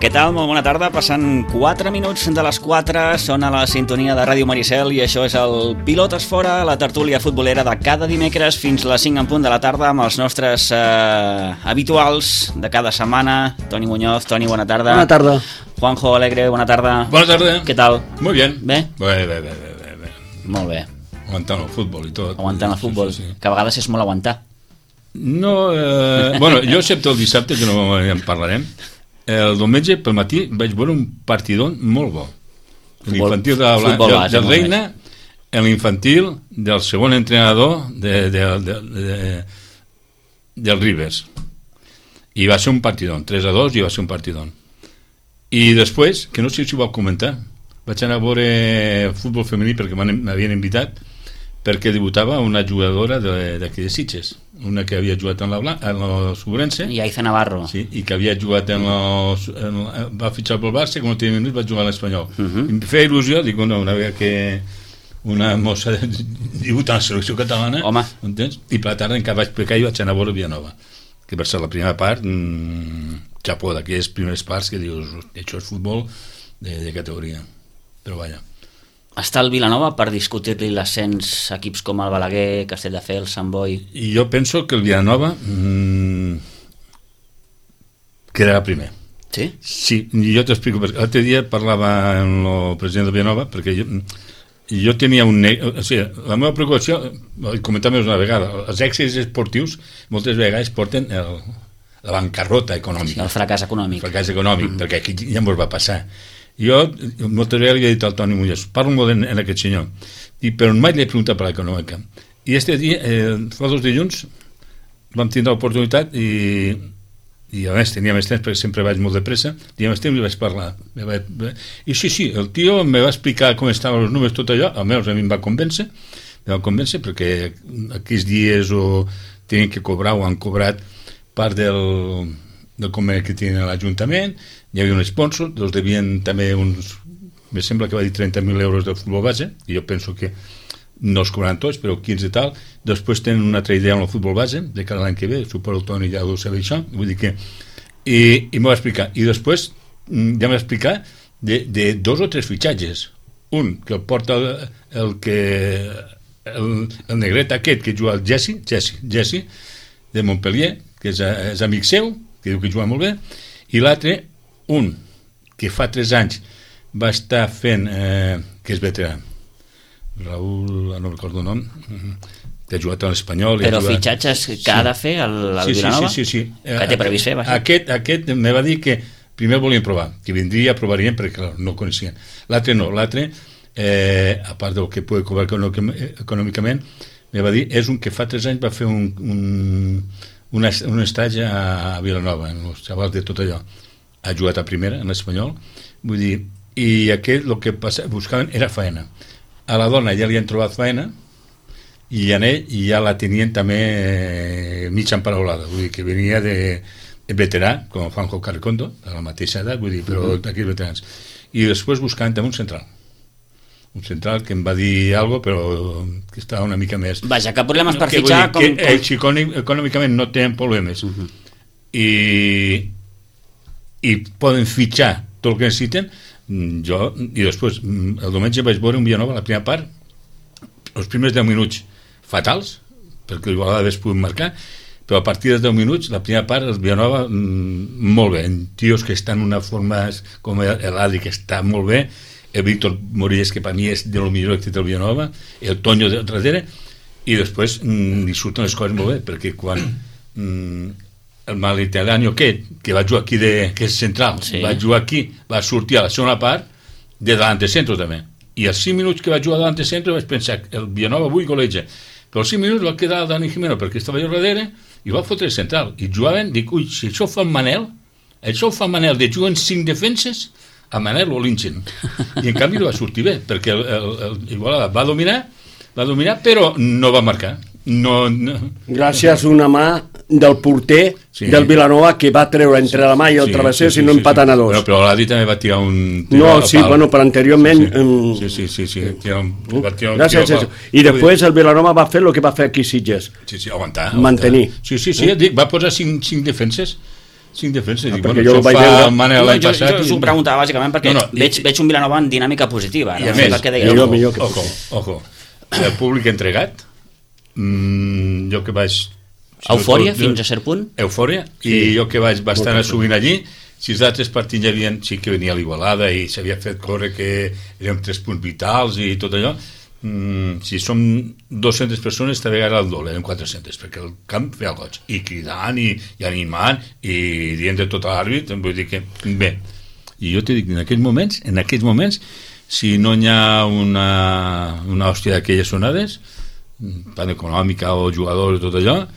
Què tal? Molt bona tarda. Passant 4 minuts de les 4, sona la sintonia de Ràdio Maricel i això és el Pilotes Fora, la tertúlia futbolera de cada dimecres fins a les 5 en punt de la tarda amb els nostres habituals de cada setmana. Toni Muñoz. Toni, bona tarda. Bona tarda. Juanjo Alegre, bona tarda. Bona tarda. Què tal? Muy bien. Bé? Bé. Molt bé. Aguantant el futbol i tot. Aguantant el futbol, sí. Que a vegades és molt aguantar. No, bueno, jo excepte el dissabte, que no en parlarem, el diumenge pel matí vaig veure un partidón molt bo. L'infantil del Reina, l'infantil del segon entrenador del Rivers. I va ser un partidón, 3-2, i va ser un partidón. I després, que no sé si ho vau comentar, vaig anar a veure futbol femení perquè m'havien invitat, perquè debutava una jugadora d'aquí de Sitges, una que havia jugat en la Sobrense, i Aiza Navarro, sí, i que havia jugat va fitxar pel Barça, quan no tenia minuts va jugar a l'Espanyol. I em feia il·lusió, dic, no, una vegada que una mossa debuta en la selecció catalana, entens? I per la tarda encara vaig pecar i vaig anar a veure Villanova, que per ser la primera part, xapó, d'aquelles primeres parts que dius, això és futbol de categoria, però vaja. Està el Vilanova per discutir-li l'ascens a equips com el Balaguer, Castelldefels, Sant Boi? I jo penso que el Vilanova quedarà primer. Sí? Sí, jo t'explico. L'altre dia parlava amb el president del Vilanova, perquè jo tenia o sigui, la meva preocupació, comentava una vegada, els èxits esportius moltes vegades porten la bancarrota econòmica. Sí, el fracàs econòmic. Perquè aquí ja ens va passar. Jo moltes vegades li he dit al Toni Muñoz, parlo molt en aquest senyor, però mai li he preguntat per l'econòmica. I este dia, fa 2 dilluns, vam tindre l'oportunitat i a més tenia més temps perquè sempre vaig molt de pressa, i més temps li vaig parlar. I sí, el tio me va explicar com estaven els números, tot allò, almenys a mi em va convèncer perquè aquells dies tenien que cobrar o han cobrat part del conveni que tenen a l'Ajuntament, hi havia un sponsor, els devien també me sembla que va dir 30.000 euros del futbol base, i jo penso que no els cobraran tots, però 15 i tal. Després tenen una altra idea amb el futbol base, de cada l'any que ve, suposo el Toni ja ho sabia això, vull dir que... I m'ho va explicar. I després ja m'ha explicat de 2 o 3 fitxatges. Un, que el porta el negret aquest, que juga el Jesse, de Montpellier, que és amic seu, que diu que juga molt bé, i l'altre, un que fa 3 anys va estar fent, que és veterà, Raúl, no recordo el nom, que ha jugat a l'Espanyol. Però fitxatges que ha de fer el Vilanova? Sí. Que té previst fer? Aquest me va dir que primer volien provar, que vindria, provarien perquè no ho coneixien. L'altre no, a part del que pugui cobrar econòmicament, me va dir, és un que fa 3 anys va fer un estatge a Vilanova, en els xavals de tot allò. Ha jugat a primera, en l'Espanyol, vull dir, i aquest el que buscaven era faena. A la dona ja li han trobat faena i en ell ja la tenien també mitja emparaulada, vull dir que venia de veterà, com Juanjo Carricondo, de la mateixa edat, vull dir, però d'aquells veterans. I després buscaven també un central que em va dir alguna cosa, però que estava una mica més... Vaja, que problemes per fitxar... Que ells econòmicament no tenen problemes i poden fitxar tot el que necessiten. I després el diumenge vaig veure un Villanova, la primera part, els primers 10 minuts fatals, perquè igual a vegades poden marcar, però a partir dels 10 minuts, la primera part, el Villanova molt bé, tios que estan en una forma com l'Adri, que està molt bé, el Víctor Morillas, que per mi és de lo millor que té el Villanova, el Toño de darrere, i després li surten les coses molt bé, perquè quan el Maliteranio que va jugar aquí, que és central, va jugar aquí, va sortir a la segona part de davant de centre també, i als 5 minuts que va jugar davant de centre vaig pensar que el Villanova avui goleja, però als 5 minuts va quedar Dani Jimeno perquè estava allà darrere i va fotre central, i jugaven, dic, ui, si això ho fa el Manel de jugar en 5 defenses, a Manel ho linxen, i en canvi no va sortir bé, perquè Igualada va dominar, però no va marcar. Gràcies a una mà del porter del Vilanova que va treure entre la mà i el travesser, si no empatant a 2. Però l'Adi també va tirar un... No, sí, bueno, però anteriorment... Sí. Gràcies. I després el Vilanova va fer el que va fer aquí Sitges. Sí, aguantar. Mantenir. Sí, dic, va posar 5 defenses. 5 defenses. Dic, perquè bueno, jo això vaig fa veure- el Mane l'any Jo passat. us ho preguntava bàsicament perquè veig un Vilanova en dinàmica positiva. I a No sé més, el que deia. millor que ojo, el públic entregat, jo que vaig... Eufòria fins a cert punt? Eufòria, i jo que vaig bastant assumint allí, si els altres partits ja havien, sí que venia l'Igualada i s'havia fet córrer que érem 3 punts vitals i tot allò, si som 200 persones també era el doble, eren 400, perquè el camp feia el goig, i cridant i animant i dient de tot l'àrbit, vull dir que bé, i jo t'he dit, en aquells moments si no hi ha una hòstia d'aquelles sonades, tant econòmica o jugadors i tot allò,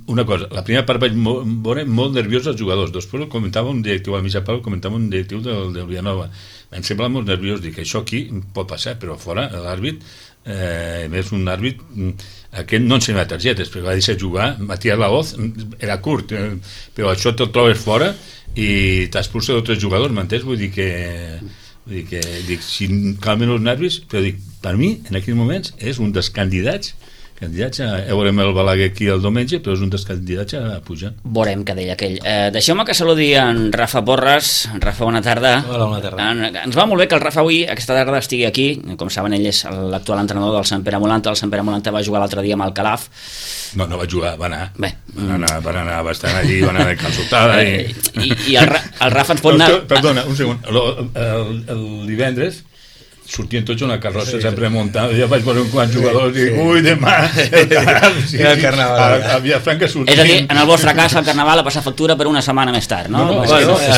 una cosa, la primera part vaig veure molt nerviós els jugadors, després comentava un directiu, al mitjà Pau comentava un directiu del Vilanova, em sembla molt nerviós, dic, això aquí pot passar, però fora l'àrbit, més un àrbit, aquest no ensenyava targetes, perquè va deixar jugar, Matías Laoz era curt, però això te'l trobes fora i t'expulsa d'altres jugadors, m'entens? Vull dir que dic, si calmen els nervis, però dic, per mi, en aquells moments, és un dels candidats a... veurem el Balaguer aquí el diumenge, però és un dels candidats a pujar. Veurem què deia aquell. Deixeu-me que saludi en Rafa Porres. Rafa, bona tarda. Hola, bona tarda. Ens va molt bé que el Rafa avui, aquesta tarda, estigui aquí. Com saben, ell és l'actual entrenador del Sant Pere Molanta. El Sant Pere Molanta va jugar l'altre dia amb el Calaf. No va jugar, va anar. Bé. Van anar bastant allí, van anar de calçotada. I el Rafa ens pot anar... Perdona, un segon. El divendres sortien tots una carrossa sempre muntada, ja vaig veure un quants jugadors i ui, demà el carnaval a Vilafranca sortien. És a dir, en el vostre cas el carnaval ha passat factura per una setmana més tard, no? El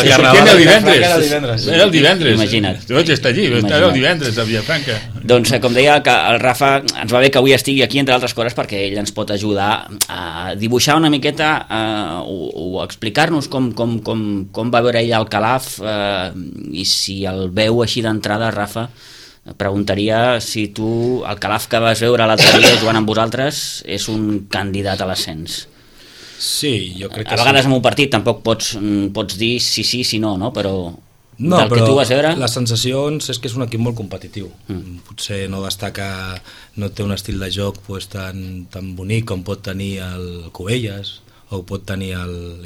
carnaval era el divendres. Imagina't. Vaig estar allí, era el divendres a Vilafranca. Doncs com deia, que el Rafa ens va bé que avui estigui aquí, entre altres coses, perquè ell ens pot ajudar a dibuixar una miqueta o explicar-nos com va veure ell el Calaf, i si el veu així d'entrada, Rafa, preguntaria si tu, el Calaf que vas veure l'altre dia jugant amb vosaltres, és un candidat a l'ascens. Sí, jo crec que a vegades en un partit tampoc pots dir si no, però del que tu vas veure... Les sensacions és que és un equip molt competitiu. Potser no destaca, no té un estil de joc pues, tan bonic com pot tenir el Cubelles o pot tenir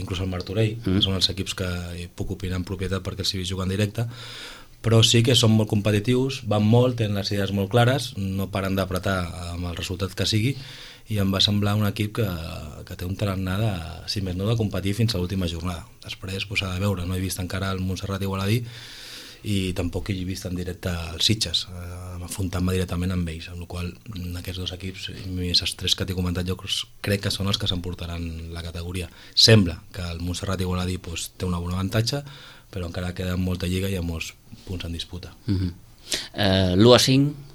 inclús el Martorell, que són els equips que puc opinar en propietat perquè els he vist jugar en directe, però sí que són molt competitius, van molt, tenen les idees molt clares, no paren d'apretar amb el resultat que sigui, i em va semblar un equip que té un tarannà de, si més no, de competir fins a l'última jornada. Després s'ha de veure, no he vist encara el Montserrat Igualadí i tampoc he vist en directe els Sitges, afrontant-me directament amb ells, amb la qual aquests dos equips, més els 3 que t'he comentat jo, crec que són els que s'emportaran la categoria. Sembla que el Montserrat Igualadí té un bon avantatge, però encara queda molta lliga i hi ha molts punts en disputa. L'1-5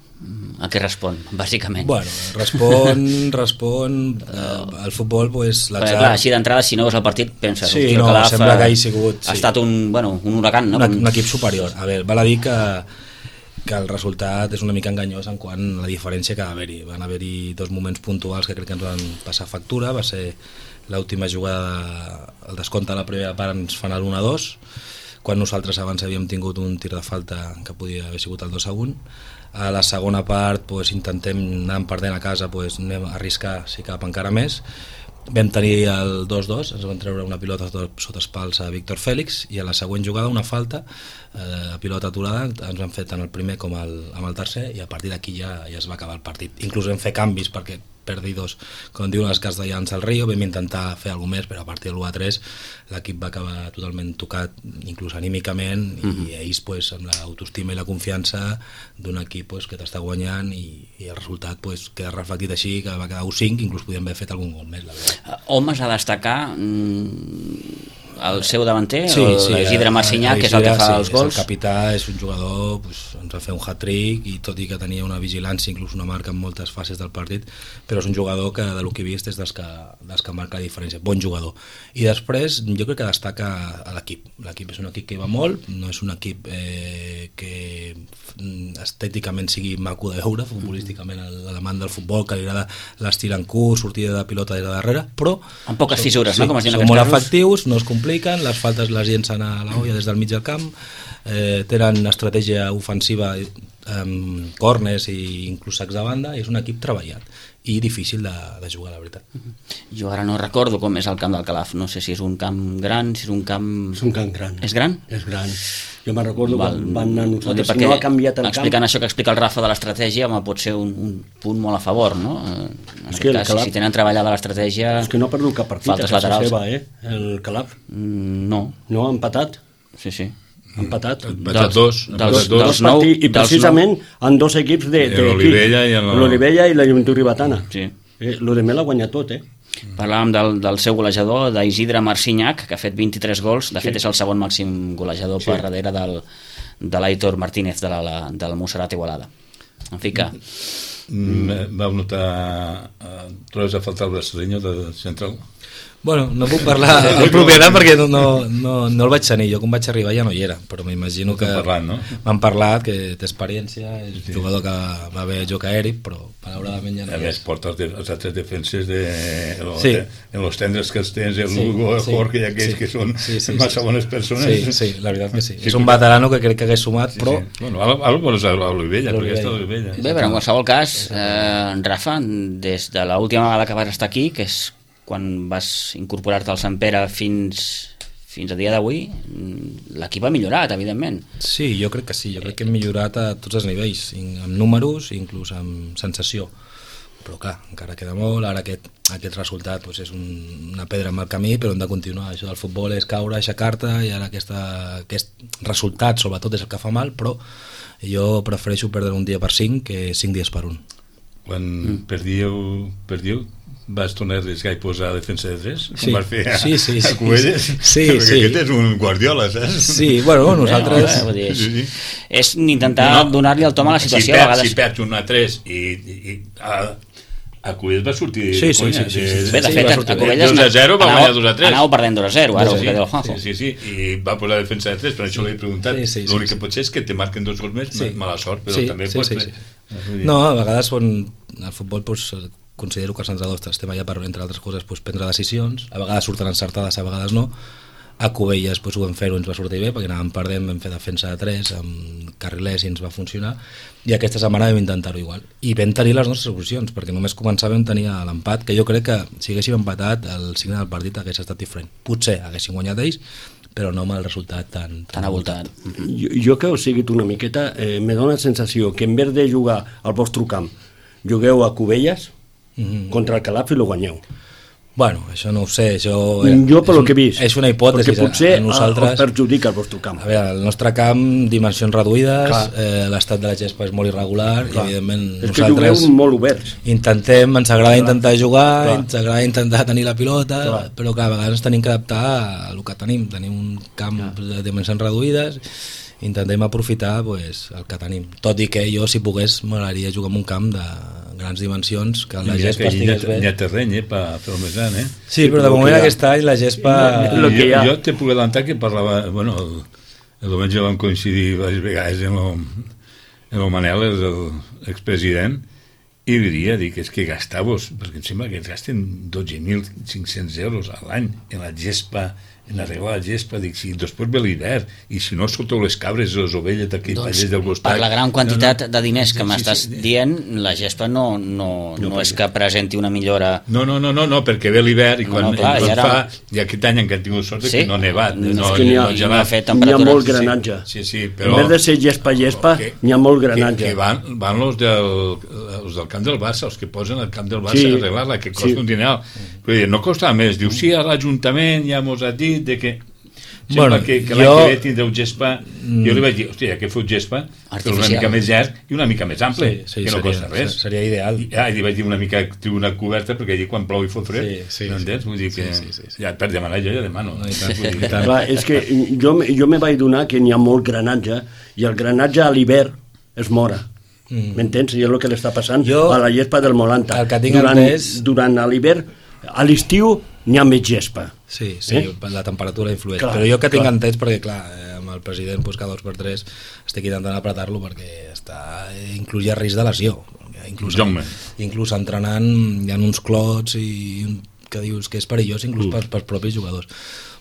a què respon, bàsicament? Bueno, respon al futbol, pues, l'atzar. Clar, així d'entrada, si no veus el partit, penses... Sí, no, sembla que hagi sigut... Ha estat un huracan, no? Un equip superior. A veure, val a dir que el resultat és una mica enganyós en quant a la diferència que va haver-hi. Van haver-hi 2 moments puntuals que crec que ens van passar factura. Va ser l'última jugada, el descompte de la primera part ens fan el 1-2, quan nosaltres abans havíem tingut un tir de falta que podia haver sigut el 2-1. A la segona part pues, intentem anar perdent a casa, pues, anem a arriscar si cap encara més. Vam tenir el 2-2, ens van treure una pilota sota els pals a Víctor Fèlix, i a la següent jugada una falta, a pilota aturada, ens van fer tant el primer com amb el tercer, i a partir d'aquí ja es va acabar el partit. Inclús vam fer canvis perquè perdi 2, com diuen els castellans al Rio, vam intentar fer alguna més, però a partir de l'1-3 l'equip va acabar totalment tocat, inclús anímicament, i ells pues, amb l'autoestima i la confiança d'un equip pues, que t'està guanyant, i el resultat pues, queda reflectit així, que va quedar 1-5, inclús podíem haver fet algun gol més, la veritat. Homes a destacar el seu davanter, sí, Isidre Marcinyà, que és el que fa els gols. El capità és un jugador, pues, ens va fer un hat-trick, i tot i que tenia una vigilància, inclús una marca en moltes fases del partit, però és un jugador que del que he vist és dels que marca la diferència, bon jugador. I després jo crec que destaca a l'equip. L'equip és un equip que va molt, no és un equip que estèticament sigui maco de veure, futbolísticament l'amant del futbol, que li agrada l'estil en curs, sortida de pilota des de darrere, però amb poques fissures, no? Com es diuen són molt efectius, no es compliquen, les faltes les llencen a la olla des del mig del camp, tenen estratègia ofensiva córners i inclús sacs de banda, és un equip treballat i difícil de jugar, la veritat. Jo ara no recordo com és el camp del Calaf, no sé si és un camp gran, si és un camp... És un camp gran. És gran? És gran. Jo me'n recordo quan van anar nosaltres, no ha canviat el camp. Explicant això que explica el Rafa de l'estratègia, pot ser un punt molt a favor, no? En aquest cas, si tenen treballada l'estratègia... És que no ha perdut cap partit a casa seva, el Calaf. No. No, ha empatat. Sí. Empatat dos partits, i precisament en dos equips l'Olivella i la Joventut Ribetana. Sí. L'Odemel l'ha guanyat tot, Parlàvem del seu golejador, d'Isidre Marcinyac, que ha fet 23 gols, de fet és el segon màxim golejador per darrere de l'Aitor Martínez del Montserrat Igualada. En fi que... Vau notar... trobes a faltar el brasileño de central? Bueno, no puc parlar en propietat perquè no el vaig tenir. Jo quan vaig arribar ja no hi era, però m'imagino que m'han parlat, que té experiència, és un jugador que va bé joc aeri, però malauradament ja no hi és. A més, porta els altres defenses en los tendres que els tens, el Lugo, el Jorge i aquells que són massa bones persones. Sí, la veritat que sí. És un veterano que crec que hagués sumat, però... Bueno, ara vols a l'Olivella, perquè està a l'Olivella. Bé, però en qualsevol cas, Rafa, des de l'última vegada que vas estar aquí, que és quan vas incorporar-te al Sant Pere fins a dia d'avui, l'equip ha millorat, evidentment. Sí, jo crec que sí, jo crec que hem millorat a tots els nivells, amb números, inclús amb sensació, però clar, encara queda molt. Ara aquest resultat és una pedra en el camí, però hem de continuar. Això del futbol és caure, aixecar-te, i ara aquest resultat sobretot és el que fa mal, però jo prefereixo perdre un dia per 5 que 5 dies per 1. Quan perdíeu vas tornar a arriscar i posar defensa de 3 com vas fer a Cubelles? Perquè aquest és un Guardiola, saps? Sí, bueno, nosaltres és intentar donar-li el tom a la situació a vegades. Si perds un a 3 i a Cubelles va sortir sí. Bé, de fet, a Cubelles 2-0 va guanyar 2-3. Anava perdent 2-0 ara, que del Juanjo. Sí, i va posar defensa de 3, per això l'he preguntat. L'únic que pot ser és que te marquen 2 gols més, mala sort, però també pot ser. No, a vegades el futbol considero que els entrenadors estem allà per, entre altres coses, prendre decisions, a vegades surten encertades, a vegades no. A Cubelles ho vam fer, ens va sortir bé, perquè anàvem perdent, vam fer defensa de 3 amb carrilers i ens va funcionar, i aquesta setmana vam intentar-ho igual, i vam tenir les nostres solucions, perquè només començàvem a tenir l'empat, que jo crec que si haguéssim empatat el signe del partit hagués estat diferent. Potser haguéssim guanyat ells, però no amb el resultat tan avoltat. Jo que heu seguit una miqueta, me dóna la sensació que en vez de jugar al vostre camp, jugueu a Cubelles contra el Calaf i lo guanyeu. Bueno, això no ho sé. Jo per lo que he vist. És una hipòtesi. Perquè potser us perjudica el vostre camp. A veure, el nostre camp, dimensions reduïdes, l'estat de la gespa és molt irregular, i evidentment és que jugueu molt oberts. Ens agrada intentar jugar, ens agrada intentar tenir la pilota, però a vegades tenim que adaptar al que tenim. Tenim un camp de dimensions reduïdes, intentem aprofitar el que tenim. Tot i que jo, si pogués, m'agradaria jugar en un camp de grans dimensions, que la gespa estigués bé. Hi ha terreny per fer el més gran, Sí, però de moment aquest any la gespa... Jo te puc adelantar que parlava... Bueno, el diumenge vam coincidir diverses vegades en el Manel, l'expresident, i diria que és que gastau-vos, perquè em sembla que gasten 12.500 euros a l'any en la gespa, en arreglar la gespa, si després ve l'hivern, i si no solteu les cabres i les ovelles d'aquell pallers del costat... Per la gran quantitat de diners que m'estàs dient, la gespa no és que presenti una millora... No, perquè ve l'hivern i quan fa... I aquest any encara han tingut sort que no ha nevat. N'hi ha molt granatge. En vez de ser gespa, n'hi ha molt granatge. Que van els del camp del Barça, els que posen al camp del Barça a arreglar-la, que costa un dineral. No costa més. Diu, sí, a l'Ajuntament ja mos ha dit que sembla que l'any que ve tindreu gespa. Jo li vaig dir, hòstia, que feu gespa però una mica més llarg i una mica més ample, que no costa res. Seria ideal. I li vaig dir una mica tribuna coberta, perquè allí quan plou i fot fred, no entens? Vull dir que ja per demanar jo ja demano. És que jo me vaig donar que n'hi ha molt granatge, i el granatge a l'hivern es mora. M'entens? I és el que li està passant a la gespa del Molanta. Durant l'hivern, a l'estiu n'hi ha més gespa. Sí, la temperatura influeix. Però jo que tinc entès, perquè clar, amb el president cada 2 per 3 estic intentant apretar-lo perquè inclús hi ha risc de lesió. Inclús entrenant hi ha uns clots que dius que és perillós inclús pels propis jugadors.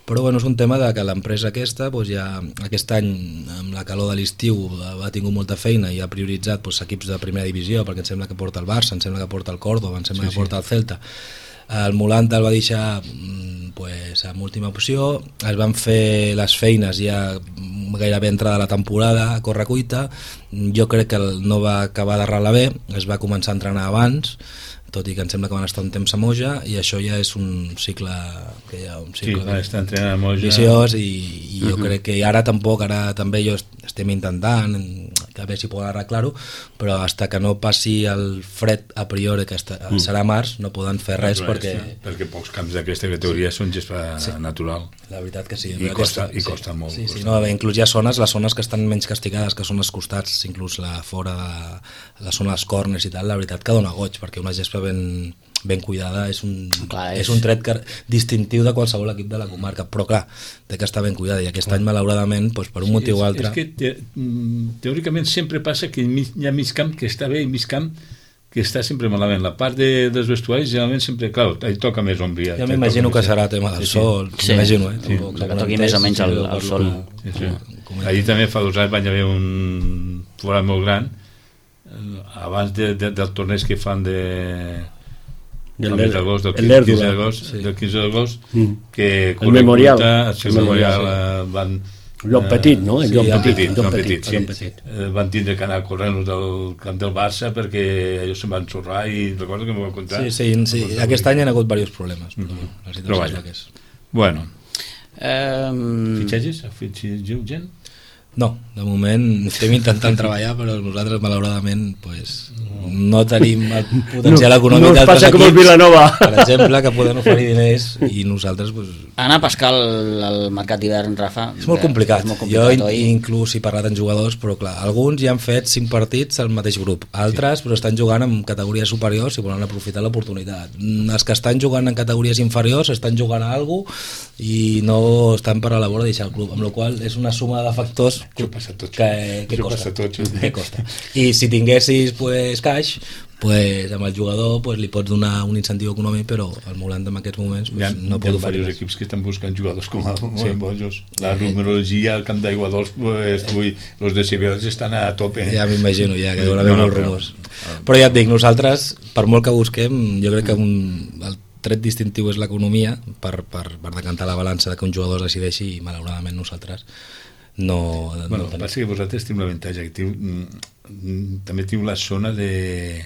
però bueno, és un tema de que l'empresa aquesta ja aquest any amb la calor de l'estiu ha tingut molta feina i ha prioritzat equips de primera divisió, perquè em sembla que porta el Barça, em sembla que porta el Córdoba, em sembla que porta el Celta. El Molanta el va deixar amb última opció, es van fer les feines ja gairebé entrada la temporada a correcuita. Jo crec que no va acabar d'arrelar bé, es va començar a entrenar abans, tot i que em sembla que van estar un temps a Moja, i això ja és un cicle que hi ha un cicle viciós, i jo crec que ara també jo estem intentant a veure si poden arreglar-ho, però fins que no passi el fred a priori, que serà març, no poden fer res perquè pocs camps d'aquesta categoria són gespa natural. La veritat que sí. I costa molt. Sí, no, inclús hi ha zones, les zones que estan menys castigades, que són els costats, inclús fora de la zona dels corners i tal, la veritat que dona goig, perquè una gespa ben cuidada és un tret distintiu de qualsevol equip de la comarca, però clar, té que estar ben cuidada, i aquest any malauradament per un motiu o altre... És que teòricament sempre passa que hi ha mig camp que està bé i mig camp que està sempre malament. La part dels vestuaris generalment sempre, clar, hi toca més ombria. Jo m'imagino que serà tema del sol, m'imagino, que toqui més o menys el sol. Allí també fa 2 anys va haver un forat molt gran abans del torneig que fan del 15 d'agost, que el memorial van... Lloc Petit, no? Lloc Petit. Van tindre que anar corrent del camp del Barça perquè ells se'n van xorrar, i recordo que m'ho van contar. Sí, aquest any hi ha hagut diversos problemes, però vaja. Bueno. Fitxatges? Fitxatges gent? No, de moment estem intentant treballar, però nosaltres malauradament no tenim el potencial econòmic d'altres equips, com el Vilanova, per exemple, que poden oferir diners, i nosaltres anar a pescar el mercat d'hivern, Rafa, és molt complicat. Jo inclús he parlat amb jugadors, però clar, alguns ja han fet 5 partits al mateix grup, altres però estan jugant en categories superiors i volen aprofitar l'oportunitat. Els que estan jugant en categories inferiors estan jugant a alguna cosa i no estan per a la vora de deixar el club, amb la qual és una suma de factors que costa. I si tinguessis cash, amb el jugador li pots donar un incentiu econòmic, però el Molanta en aquests moments no pot oferir. Hi ha diversos equips que estan buscant jugadors com el Bojos. La numerologia al camp d'Aigua Dols, els de Cibeles estan a tope. Ja m'imagino, que deuen haver molts rumors. Però ja et dic, nosaltres, per molt que busquem, jo crec que el tret distintiu és l'economia, per decantar la balança de que un jugador es decideixi, i malauradament nosaltres no passa que vosaltres teniu l'avantatge que també teniu la zona de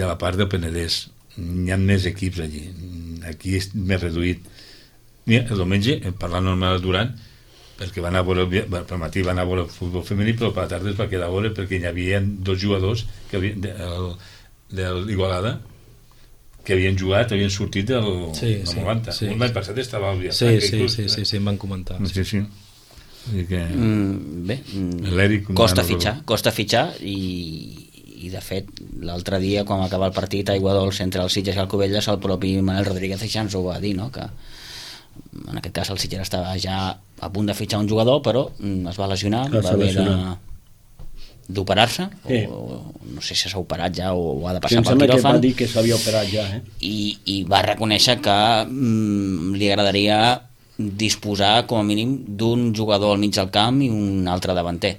la part del Penedès, hi ha més equips allí, aquí és més reduït. Mira, el diumenge, parlant normal Durant, perquè van a veure pel matí van a veure el futbol femení, però per la tarda es va quedar a veure perquè hi havia 2 jugadors de l'Igualada que havien jugat, havien sortit del 90. L'any passat estava al Viatà. Sí, em van comentar. Sí. Bé, costa fitxar i de fet l'altre dia quan va acabar el partit a Aiguadols entre el Sitges i el Cubelles, el propi Manel Rodríguez ja ens ho va dir, no? Que en aquest cas el Sitges estava ja a punt de fitxar un jugador, però es va lesionar, va haver d'operar-se, o no sé si s'ha operat ja o ha de passar pel quiròfan. Que va dir que s'havia operat ja, i va reconèixer que li agradaria disposar com a mínim d'un jugador al mig del camp i un altre davanter,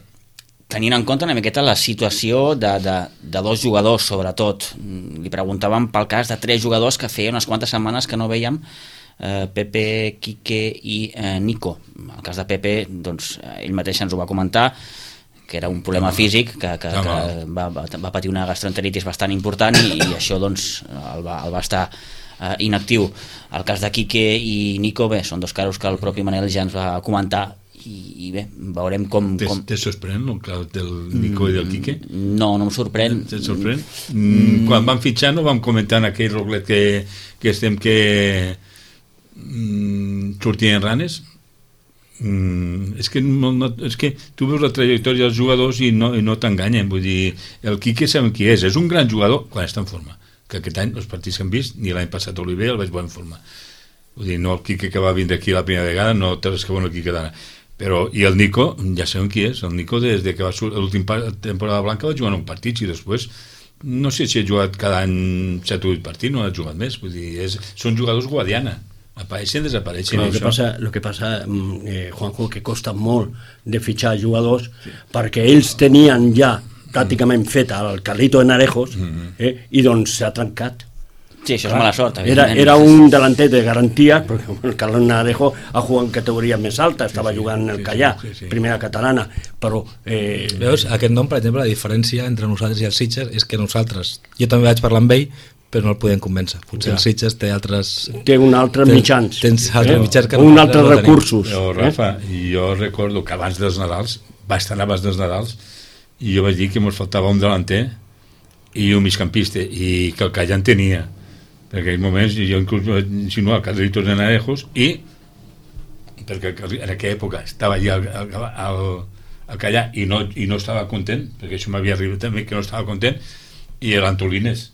tenint en compte una miqueta la situació de 2 jugadors, sobretot. Li preguntàvem pel cas de 3 jugadors que feia unes quantes setmanes que no veiem, Pepe, Quique i Nico. El cas de Pepe, doncs, ell mateix ens ho va comentar, que era un problema físic, que va patir una gastroenteritis bastant important, i això doncs el va estar inactiu. El cas de Quique i Nico, bé, són 2 casos que el propi Manel ja ens va comentar, i bé, veurem com... Te sorprèn el cas del Nico i del Quique? No em sorprèn. Te sorprèn? Quan vam fitxar no vam comentar en aquell roglet que estem que sortien ranes? És que tu veus la trajectòria dels jugadors i no t'enganyen. Vull dir, el Quique sabem qui és un gran jugador quan està en forma, que aquest any els partits que hem vist, ni l'any passat Oliver el vaig veure en forma. Vull dir, no el Quique que va vindre aquí la primera vegada, no té res que veure el Quique d'ara. Però, i el Nico, ja sabem qui és. El Nico, des que va sortir l'última temporada blanca, va jugar en un partit, i després no sé si ha jugat cada any 7 o 8 partits, no ha jugat més. Vull dir, són jugadors Guadiana. apareixen, desapareixen. Lo que passa, Juanjo, que costa molt de fitxar jugadors perquè ells tenien ja pràcticament fet el Carlito de Narejos i doncs s'ha trencat. Sí, això és mala sort. Era un delanter de garantia, perquè el Carlos Narejo ha jugat en categoria més alta, estava jugant en el Callà, primera catalana, però... Veus, aquest nom, per exemple, la diferència entre nosaltres i els Sitges és que nosaltres, jo també vaig parlar amb ell, però no el podem convèncer. Potser el Sitges té altres... Té un altre mitjans. Tens altres mitjans que un altre recursos. Rafa, jo recordo que abans dels Nadals, bastant abans dels Nadals, i jo vaig dir que ens faltava un delanter i un migcampista, i que el Callà en tenia. En aquells moments jo inclús vaig insinuar Carlitos de Narejos i perquè en aquella època estava allà al Callà i no estava content, perquè això m'havia arribat també que no estava content, i l'Antolines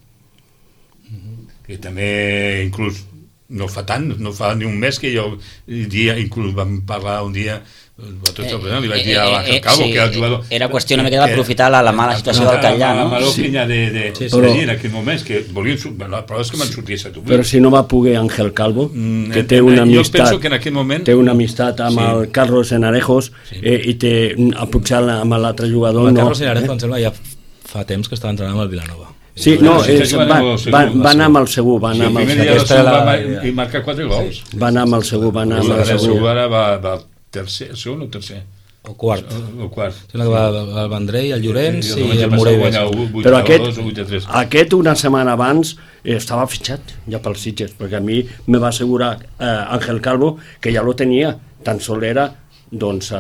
que també inclús no fa ni un mes que jo inclús vam parlar un dia li vaig dir a l'Àngel Calvo que era el jugador, era qüestió una mica d'aprofitar la mala situació del Callà, no? la mala opinió en aquell moments que volien, la prova és que me'n sorties a tu, però si no va poder Àngel Calvo que té una amistat, jo penso que en aquell moment té una amistat amb el Carlos Enarejos i té potser amb l'altre jugador el Carlos Enarejos em sembla ja fa temps que estava entrenant amb el Vilanova. Sí, no, va anar amb el Segur, va anar amb el Segur i marca 4 gols, va anar amb el Segur, el Segur ara va tercer, segon o tercer? O quart. Sembla que va el Vendrell, el Llorenç i el Morell. Però aquest una setmana abans estava fitxat ja pels Sitges, perquè a mi me va assegurar Ángel Calvo que ja lo tenia, tan sol era doncs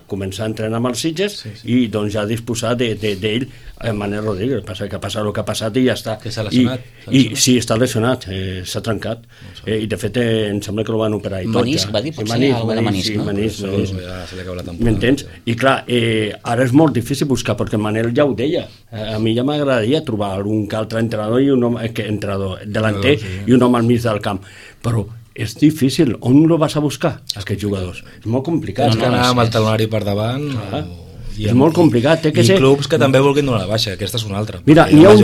començar a entrenar amb els Sitges i doncs ja disposar d'ell Manel Rodríguez, que ha passat el que ha passat i ja està. Que s'ha lesionat? Sí, està lesionat, s'ha trencat i de fet em sembla que el van operar i tot. Menisc, va dir, potser alguna de menisc, no? Menisc, m'entens? I clar, ara és molt difícil buscar, perquè Manel ja ho deia, a mi ja m'agradaria trobar algun altre entrenador i un home, delanter i un home al mig del camp, però és difícil. On lo vas a buscar, aquests jugadors? És molt complicat. És que anar amb el talonari per davant... És molt complicat. I clubs que també vulguin donar la baixa, aquesta és una altra. Mira, n'hi ha un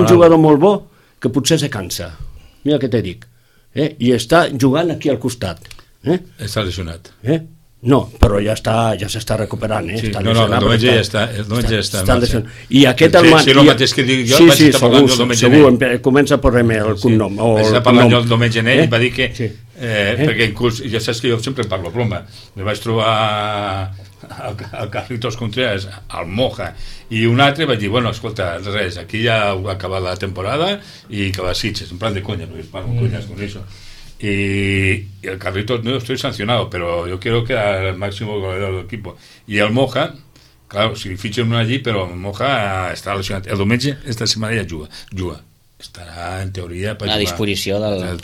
jugador molt bo que potser se cansa. Mira què te dic. I està jugant aquí al costat. Està lesionat. No, però ja s'està recuperant, està lesionat. No, ja està lesionat. I aquest sí, el mateix que dic jo, vaig estar parlant el Domènec Gené. Comença per el cognom. Vaig estar parlant jo el Domènec Gené i va dir que, perquè inclús, ja saps que jo sempre parlo broma, me vaig trobar el Carlitos Contreras, el Moja, i un altre vaig dir, bueno, escolta, res, aquí ja ha acabat la temporada i que les Sitges, en plan de coña, perquè es parlo coñas con eso. Y el Carlitos, no estoy sancionado, pero yo quiero que era el máximo goleador del equipo. Y el Moja, claro, si fichan uno allí, pero el Moja está lesionado. El Domènec esta setmana ja juga. Estarà, en teoria, a disposició del...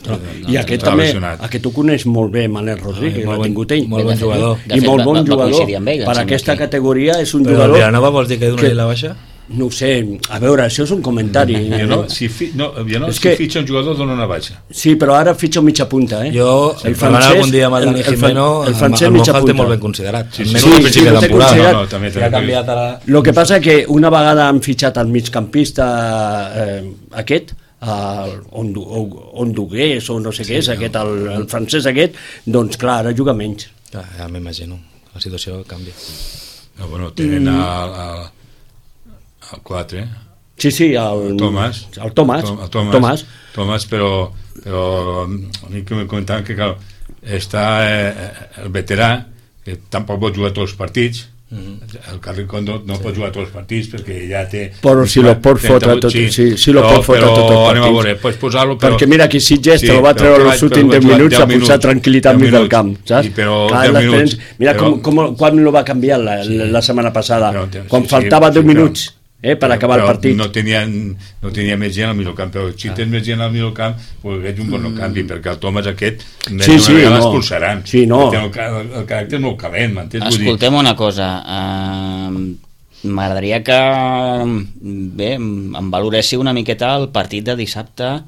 I aquest també, aquest ho coneix molt bé, Manel Rodríguez, l'ha tingut ell. Molt bon jugador. I molt bon jugador. Per aquesta categoria és un jugador... Però Vilanova vols dir que donarà la baixa? No ho sé, a veure, això és un comentari. Si fitxa un jugador dona una baixa. Sí, però ara fitxa un mitja punta, Jo, el francès, algun dia amb el Dani Jimeno, el Moja té molt ben considerat. Sí, no té considerat. Ha canviat ara... El que passa que una vegada han fitxat el migcampista aquest, Ondugués o no sé què és, el francès aquest, doncs clar, ara juga menys. Ja m'imagino, la situació canvia. No, bueno, tenen el 4, Sí, el Tomàs, però a mi que me comentaven que està el veterà que tampoc pot jugar tots els partits, el Carricondo no pot jugar tots els partits perquè ja té... Però si lo pot fotre tot el anem a veure, pots posar-lo, perquè mira aquí Sitges te lo va treure els últims 10 minuts a posar tranquil·litat mig del camp, saps? Mira quan lo va canviar la setmana passada, quan faltava 10 minuts per acabar el partit. No tenia més gent al mig camp, però si tens més gent al mig camp veig un bon canvi, perquè el Tomàs aquest l'expulsaran. El caràcter molt calent, m'entens? Escoltem una cosa, m'agradaria que em valoressi una miqueta el partit de dissabte,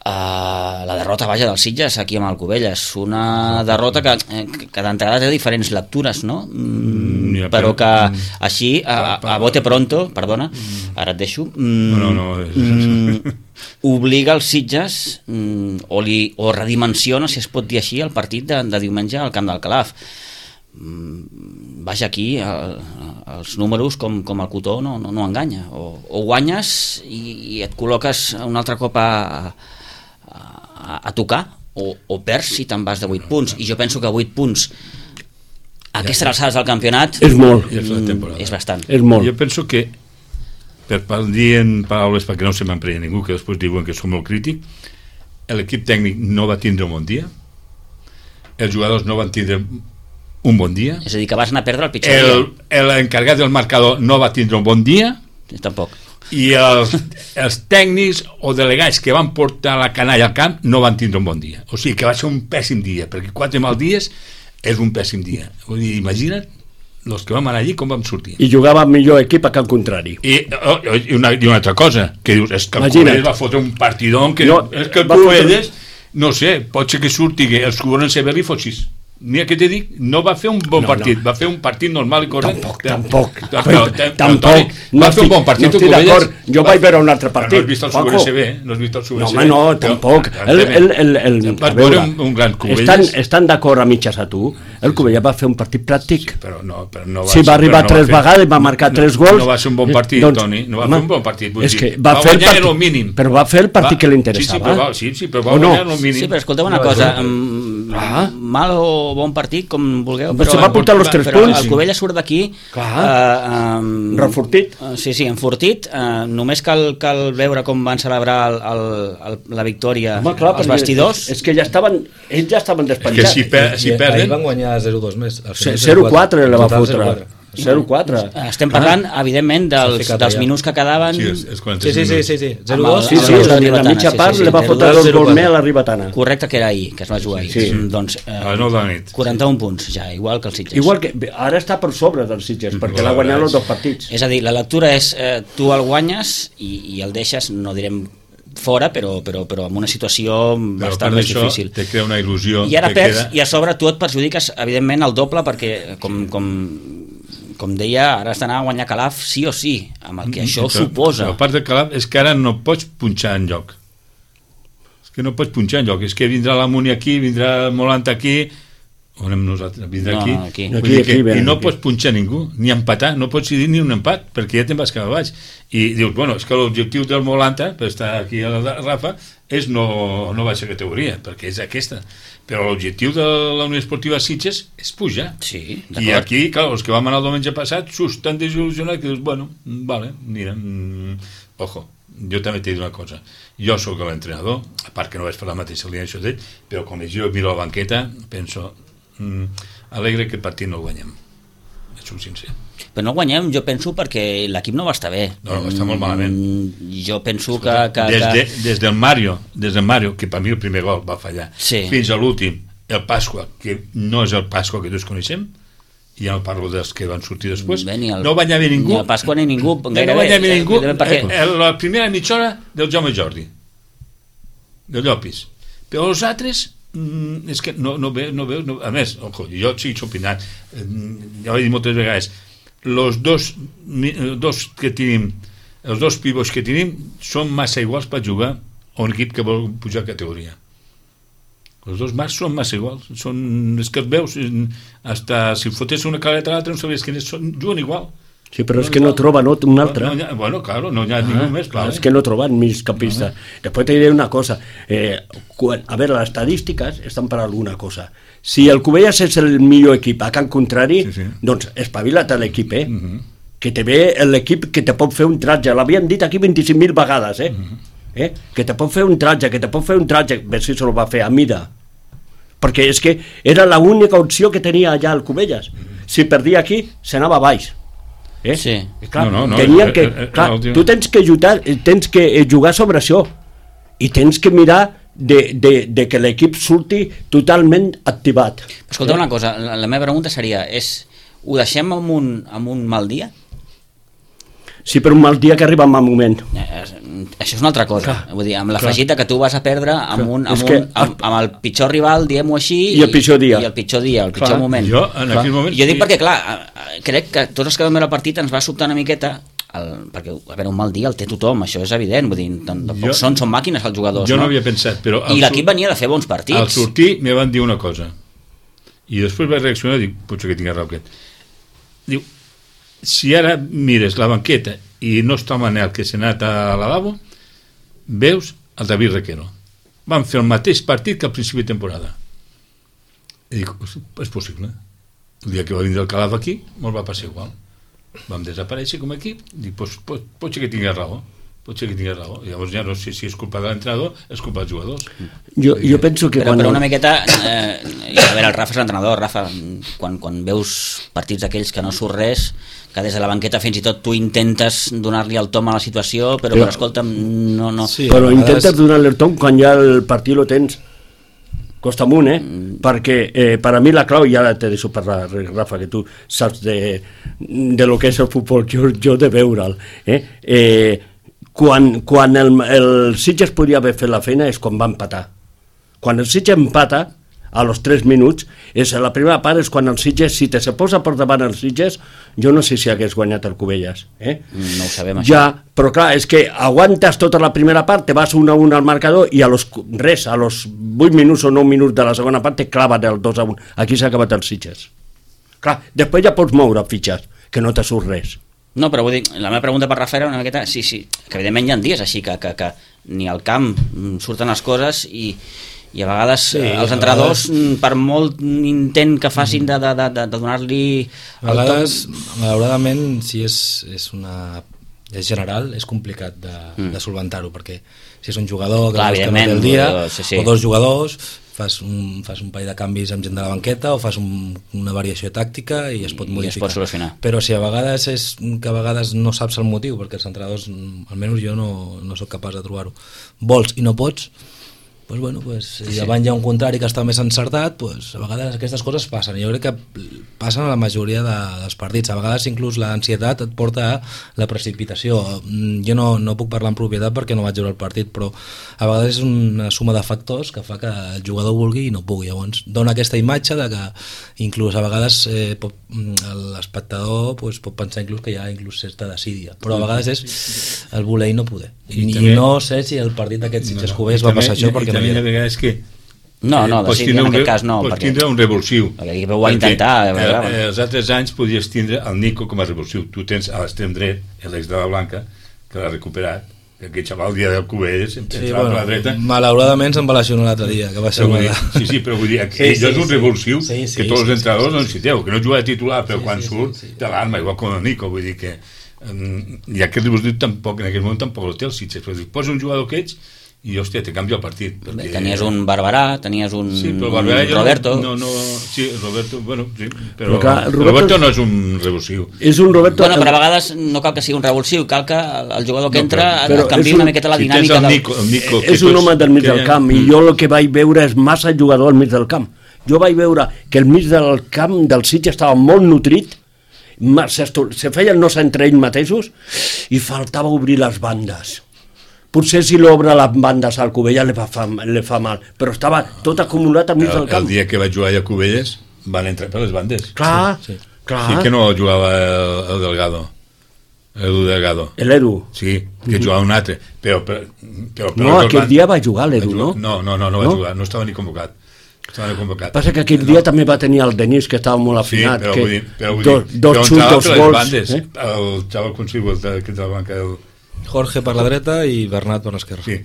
la derrota vaja dels Sitges aquí amb el Cubelles, una derrota que d'entrada té diferents lectures, no? Però que així a bote pronto, perdona, ara et deixo, obliga els Sitges o redimensiona, si es pot dir així, el partit de diumenge al Camp del Calaf. Vaja, aquí els números com el cotó no enganya, o guanyes i et col·loques un altre cop a tocar, o perds si te'n vas de 8 punts, i jo penso que 8 punts a aquestes alçades del campionat és molt, és bastant. És molt. Jo penso que, per dir en paraules perquè no se m'emprenya ningú, que després diuen que som molt crític, l'equip tècnic no va tindre un bon dia, els jugadors no van tindre un bon dia, és a dir, que vas anar a perdre el pitjor dia. L'encarregat del marcador no va tindre un bon dia, tampoc. I els tècnics o delegats que van portar la canalla al camp no van tindre un bon dia. O sigui que va ser un pèssim dia, perquè 4 mal dies és un pèssim dia. Vull dir, imagina't els que vam anar allí com vam sortir. I jugava millor equip a camp contrari. I una altra cosa, que dius, és que el Cubelles va fotre un partidón que és que el Cubelles, no sé, pot ser que surti que els Cubelles en Severri fos 6. Mira què t'he dit, no va fer un bon partit, va fer un partit normal i correcte. Tampoc. Va fer un bon partit. No estic d'acord, jo vaig veure un altre partit. No has vist el Subgrc, no has vist el Subgrc. No, tampoc. Vas veure un gran Cubelles. Estan d'acord a mitges a tu, el Cubelles va fer un partit pràctic. Però no va si va arribar 3 vegades, va marcar 3 gols. No va ser un bon partit, Toni, no va fer un bon partit. És que va guanyar el mínim. Però va fer el partit que li interessava. Sí, però va guanyar el mínim. Sí, però escolteu una cosa, mal o bon partit, com vulgueu, però se va portar els 3 punts. El Cubelles surt d'aquí refortit. Sí, enfortit. Només cal veure com van celebrar la victòria els vestidors. És que ells ja estaven despenjats. És que si perden... Ahir van guanyar 0-2 més. 0-4 la va fotre. 0-4. Estem parlant, evidentment, dels minuts que quedaven. Sí. 0-2. Sí, la mitja part li va fotre 2 gols més a la Ribetana. Correcte, que era ahir, que es va jugar ahir. Doncs, a les 9 de la nit. 41 punts, ja, igual que els Sitges. Igual que ara està per sobre dels Sitges, perquè l'ha guanyat els 2 partits. És a dir, la lectura és, tu el guanyes i el deixes, no direm fora, però amb una situació bastant més difícil. Te crea una il·lusió. I ara perds, i a sobre tu et perjudiques, evidentment, el doble, perquè, com deia, ara has d'anar a guanyar Calaf sí o sí, amb el que això suposa. La part de Calaf és que ara no pots punxar en lloc. És que no pots punxar en lloc. És que vindrà la Muni aquí, vindrà el Molant aquí, on anem nosaltres? Vindrà aquí. I no pots punxar ningú, ni empatar, no pots dir ni un empat, perquè ja te'n vas cap a baix. I dius, bueno, és que l'objectiu del Molanta, per estar aquí a la Rafa, és no baixar categoria, perquè és aquesta. Però l'objectiu de la Unió Esportiva Sitges és pujar. Sí, i aquí, clar, els que vam anar el diumenge passat tan desil·lusionats que dius, bueno, vale, mira, ojo, jo també t'he dit una cosa, jo sóc l'entrenador, a part que no vaig fer la mateixa alineació d'ell, però quan jo miro la banqueta penso, alegre que el partit no el guanyem, sóc sincer. Però no guanyem, jo penso, perquè l'equip no va estar bé. No, va estar molt malament. Jo penso que... Des del Mario, que per mi el primer gol va fallar, fins a l'últim, el Pasqua, que no és el Pasqua que tots coneixem, i ja no parlo dels que van sortir després, no va bé ningú. Ni el Pasqua ni ningú. No va bé ningú. La primera mitja hora del Jaume Jordi, del Llopis. Però els altres... és que no veu, a més, ojo, jo estic opinant, ja ho he dit moltes vegades, els dos que tenim, els dos pivots que tenim són massa iguals per jugar a un equip que vol pujar categoria. Els dos marcs són massa iguals, és que els veus, hasta si fotés una caleta a l'altra no sabies quins són, juguen igual. Sí, però és que no troben un altre. Bueno, claro, no hi ha ningú més, clar. És que no troben migcampista. Després te diré una cosa. A veure, les estadístiques estan per alguna cosa. Si el Cubelles és el millor equip a camp contrari, doncs espavila't a l'equip, que te ve l'equip que te pot fer un tratge. L'havien dit aquí 25.000 vegades, que te pot fer un tratge, a veure si se lo va fer a mida. Perquè és que era l'única opció que tenia allà el Cubelles. Si perdia aquí, s'anava a baix. Sí. Clar, tu tens que jugar sobre això i tens que mirar de que l'equip surti totalment activat. Escolta una cosa, la meva pregunta seria, ho deixem amb un mal dia? Sí, per un mal dia que arriba en mal moment. Això és una altra cosa. Vull dir, amb l'afegit que tu vas a perdre amb el pitjor rival, diguem-ho així, i el pitjor dia, el pitjor moment. Jo, en aquell moment... Jo dic perquè, clar, crec que tots els que vam veure el partit ens va sobtar una miqueta perquè a veure, un mal dia el té tothom, això és evident, vull dir, són màquines els jugadors, jo no havia pensat, però i l'equip venia de fer bons partits. Al sortir me van dir una cosa i després vaig reaccionar i dic, potser que tinc raó aquest. Diu, si ara mires la banqueta i no està el Manel que s'ha anat a lavabo, veus el David Requero, van fer el mateix partit que al principi de temporada. I dic, és possible, el dia que va vindre el Calaf aquí molt va passar igual, vam desaparèixer com a equip. Dic, pot ser que tingui raó, llavors ja no sé si és culpa de l'entrenador, és culpa dels jugadors. Jo penso que però una miqueta a veure, el Rafa és l'entrenador. Rafa, quan veus partits d'aquells que no surt res, que des de la banqueta fins i tot tu intentes donar-li el tom a la situació, però escolta'm, no. Sí, però intentes donar-li el tom quan ja el partit lo tens costa amunt, perquè per a mi la clau, ja te deixo parlar, Rafa, que tu saps de lo que és el futbol, jo de veure'l, quan el Sitges podria haver fet la feina és quan va empatar. Quan el Sitges empata a los 3 minuts, la primera part és quan el Sitges, si se posa per davant el Sitges, jo no sé si hagués guanyat el Cubelles. No ho sabem, això. Ja, però clar, és que aguantes tota la primera part, te vas 1-1 al marcador i a los 8 minuts o 9 minuts de la segona part te claven el 2-1. Aquí s'ha acabat el Sitges. Clar, després ja pots moure fitxes, que no te surt res. No, però vull dir, la meva pregunta per Rafa era una miqueta, sí, que evidentment hi ha dies així que ni al camp surten les coses i a vegades els entrenadors, per molt intent que facin de donar-li... A vegades, malauradament, si és general, és complicat de solventar-ho, perquè si és un jugador que no té el dia, o dos jugadors, fas un parell de canvis amb gent de la banqueta o fas una variació tàctica i es pot modificar. I es pot solucionar. Però si a vegades és que a vegades no saps el motiu, perquè els entrenadors, almenys jo no soc capaç de trobar-ho, vols i no pots, si davant hi ha un contrari que està més encertat, a vegades aquestes coses passen. Jo crec que passen a la majoria dels partits. A vegades inclús l'ansietat et porta a la precipitació. Jo no puc parlar en propietat perquè no vaig veure el partit, però a vegades és una suma de factors que fa que el jugador vulgui i no pugui. Llavors dona aquesta imatge de que inclús a vegades l'espectador pot pensar inclús que hi ha certa desídia, però a vegades és el voler i no poder. I no sé si el partit d'aquest Sitges Cubelles va passar això, perquè també hi ha vegades que no, en aquest cas no, pots tindre un revulsiu, perquè ho va intentar. Els altres anys podies tindre el Nico com a revulsiu. Tu tens a l'extrem dret l'ex de la Blanca, que l'ha recuperat, que aquest xaval el dia del Cubelles entrava per la dreta. Malauradament se'n va lesionar l'altre dia, que va ser però vull dir, ell és un revulsiu que tots els entrenadors no necessiteu, que no juga de titular, però quan surt té l'arma, igual com el Nico, vull dir que i aquest revulsiu tampoc, en aquell moment tampoc el té el Sitges, però posa un jugador que ets i hòstia, te canvia el partit perquè... Tenies un Barberà, tenies un Roberto. Sí, Roberto, bueno, sí, però Roberto no és un revulsiu. És un Roberto... Bueno, però a vegades no cal que sigui un revulsiu, cal que el jugador que entra canvi una miqueta la dinàmica és un home del mig del camp i jo el que vaig veure és massa jugador al mig del camp. Jo vaig veure que el mig del camp del Sitges estava molt nutrit, se feien no entre ells mateixos i faltava obrir les bandes. Potser si l'obre les bandes al Cubelles li fa mal, però estava tot acumulat al mig del camp. El dia que vaig jugar a Cubelles van entrar per les bandes. Clar. Sí que no jugava el Delgado, l'Edu Delgado. L'Edu? Sí, que jugava un altre. Però no, aquell dia va jugar l'Edu, no? No va jugar, no estava ni convocat. Passa que aquell dia també va tenir el Denis, que estava molt afinat. Sí, però vull dir, dos xuts, dos gols. El xaval consigo que de la banca del... Jorge per la dreta i Bernat per l'esquerra. Sí,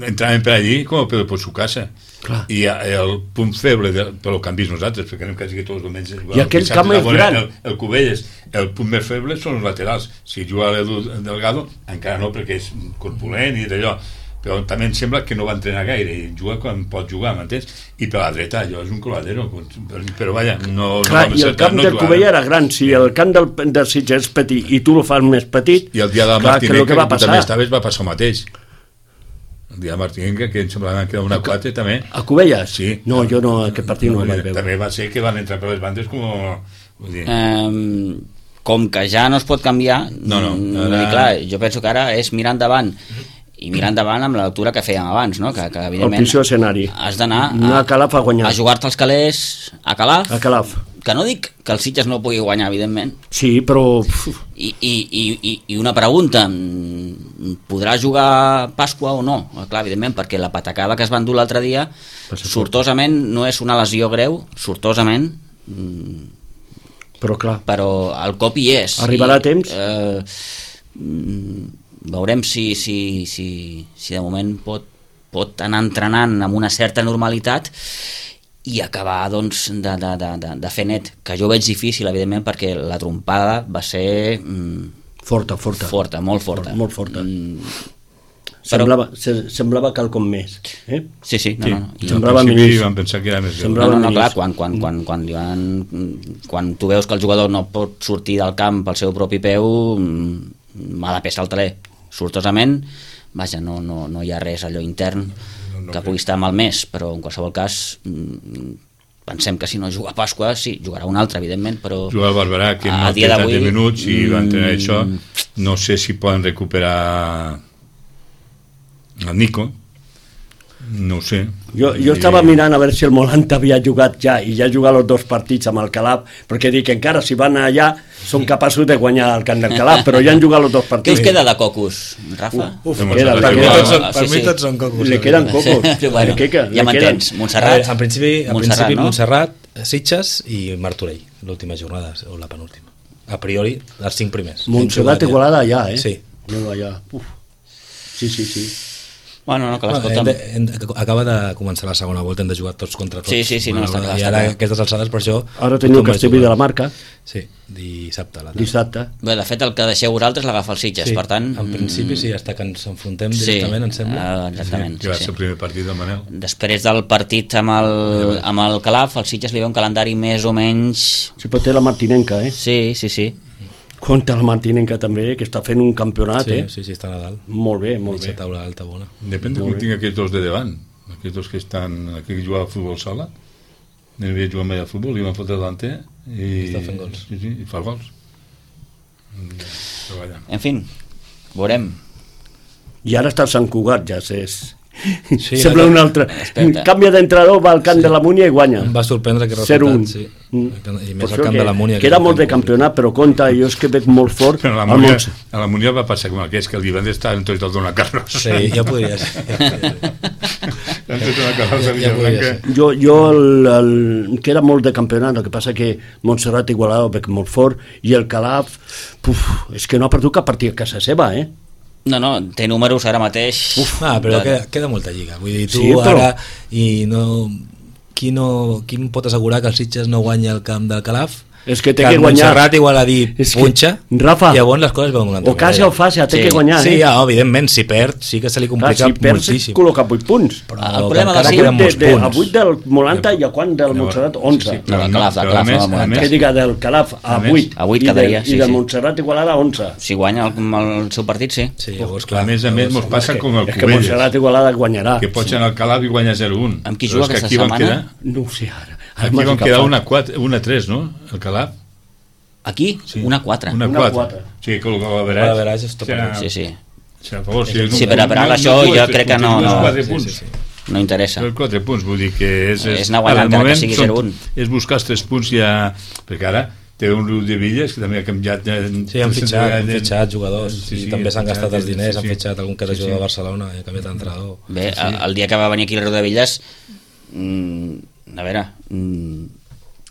entraven per allí com per su casa. Clar. I el punt feble però que han vist nosaltres, perquè anem quasi tots els diumenges. I aquell camp és gran. El Cubelles, el punt més feble són els laterals. Si juga l'Edu Delgado, encara no, perquè és corpulent i d'allò, però també em sembla que no va entrenar gaire i juga quan pot jugar, m'entens? I per la dreta allò és un coladero, però vaja, no... Clar, i el camp del Cubelles era gran, si el camp del Sitges és petit i tu lo fas més petit, i el dia del Martínez, que tu també estaves, va passar el mateix. El dia del Martínez, que em semblava que era una 4 també. A Cubelles? Sí. No, jo no, aquest partit no el vaig veure. També va ser que van entrar per les bandes com que ja no es pot canviar, clar, jo penso que ara és mirar endavant i mirar endavant amb la lectura que fèiem abans, no? Que evidentment el escenari. Has d'anar a Calaf a guanyar, a jugar-te els calés a Calaf, que no dic que el Sitges no pugui guanyar, evidentment. Sí, però... I una pregunta, podrà jugar Pasqua o no? Clar, evidentment, perquè la patacada que es va endur l'altre dia, sortosament, no és una lesió greu, sortosament, però clar, però el cop hi és. Arribarà a temps? Veurem si de moment pot anar entrenant amb una certa normalitat i acabar doncs, de fer net, que jo veig difícil, evidentment, perquè la trompada va ser... Forta. Molt forta. Molt forta. Semblava quelcom més. Sí. Semblava més. Vam pensar que era més greu. No, clar, quan tu veus que el jugador no pot sortir del camp pel seu propi peu, mala peça al taler. Sortosament, vaja, no hi ha res allò intern que pugui estar malmès, però en qualsevol cas pensem que si no juga a Pasqua, sí, jugarà un altre, evidentment, però... Juga el Barberà, que no té tant de minuts i va entrenar això. No sé si poden recuperar el Nico, no ho sé. Jo estava mirant a veure si el Molant havia jugat ja, i ja ha jugat els 2 partits amb el Calaf, perquè dic que encara si van allà són capaços de guanyar el camp del Calaf, però ja han jugat els 2 partits. Què us queda de cocos, Rafa? Per mi tots són cocos. Le queden cocos. Ja m'entens, Montserrat. En principi Montserrat, Sitges i Martorell, l'última jornada, o la penúltima. A priori, els 5 primers. Montserrat Igualada allà, Sí. Sí. Bueno, no, que l'escolta'm. Acaba de començar la segona volta, hem de jugar tots contra tots. Sí, no, està clar. I ara aquestes alçades, per això... Ara teniu Castellví de la Marca. Sí, dissabte. Bé, de fet, el que deixeu vosaltres l'agafa el Sitges, per tant... En principi sí, hasta que ens enfrontem directament, em sembla. Exactament. Que va ser el primer partit del Manel. Després del partit amb el Calaf, el Sitges li ve un calendari més o menys... Sí, però té la Martinenca, Sí. Compte la Martinenca també, que està fent un campionat, Sí, està a Nadal. Molt bé. Taula alta bona. Depèn de com tinc aquests 2 de davant. Aquests 2 que estan... Aquí que jugava a futbol sala. No havia jugat mai a futbol, i van fotre delanter. I està fent gols. Sí, i fa gols. En fi, veurem. I ara està el Sant Cugat, ja és... Sí, sembla un altre. Canvia d'entrenador, va al camp de la Múnia i guanya. Em va sorprendre que resultat, sí. I més al camp de la Múnia. Que era molt de campionat, però compte, jo és que veig molt fort. Però a la Múnia va passar com aquest, que el divendres estava en tot el Dona Carlos. Sí, ja podria ser. Jo que era molt de campionat, el que passa que Montserrat Igualada ho veig molt fort, i el Calaf, és que no ha perdut cap partit a casa seva, No, té números ara mateix. Però queda molta lliga. Vull dir, tu ara... Qui pot assegurar que el Sitges no guanya el camp del Calaf? És que té que que guanyar. Montserrat igual a dir punxa, Rafa, llavors les coses veuen una altra o casa o fàcil, té que guanyar. Sí, evidentment, si perd sí que se li complica moltíssim. Si col·loca 8 punts. Però el problema a 8 del Molanta i a quan del Montserrat 11. No, del Calaf, que diga del Calaf a 8. A 8 quedaria, i del Montserrat Igualada a 11. Si guanya el seu partit, sí. Llavors, clar, a més mos passa com el Cubelles. És que Montserrat Igualada guanyarà. Que pot anar al Calaf i guanya 0-1. Amb qui juga aquesta setmana? No ho sé ara. Aquí van quedar 1-3, no? El Calaf. Aquí? Sí. 1-4. 1-4. Sí, que el Galaveratge és top. Sí. Sí, per això jo crec que no interessa. Els 4 punts, vull dir que és anar guanyant encara que sigui 0-1. És buscar els 3 punts ja, perquè ara té un Riu de Villes que també ha canviat. Sí, han fitxat jugadors i també s'han gastat els diners, han fitxat algun que era jugador de Barcelona i ha canviat d'entrenador. Bé, el dia que va venir aquí el Riu de Villes, a veure...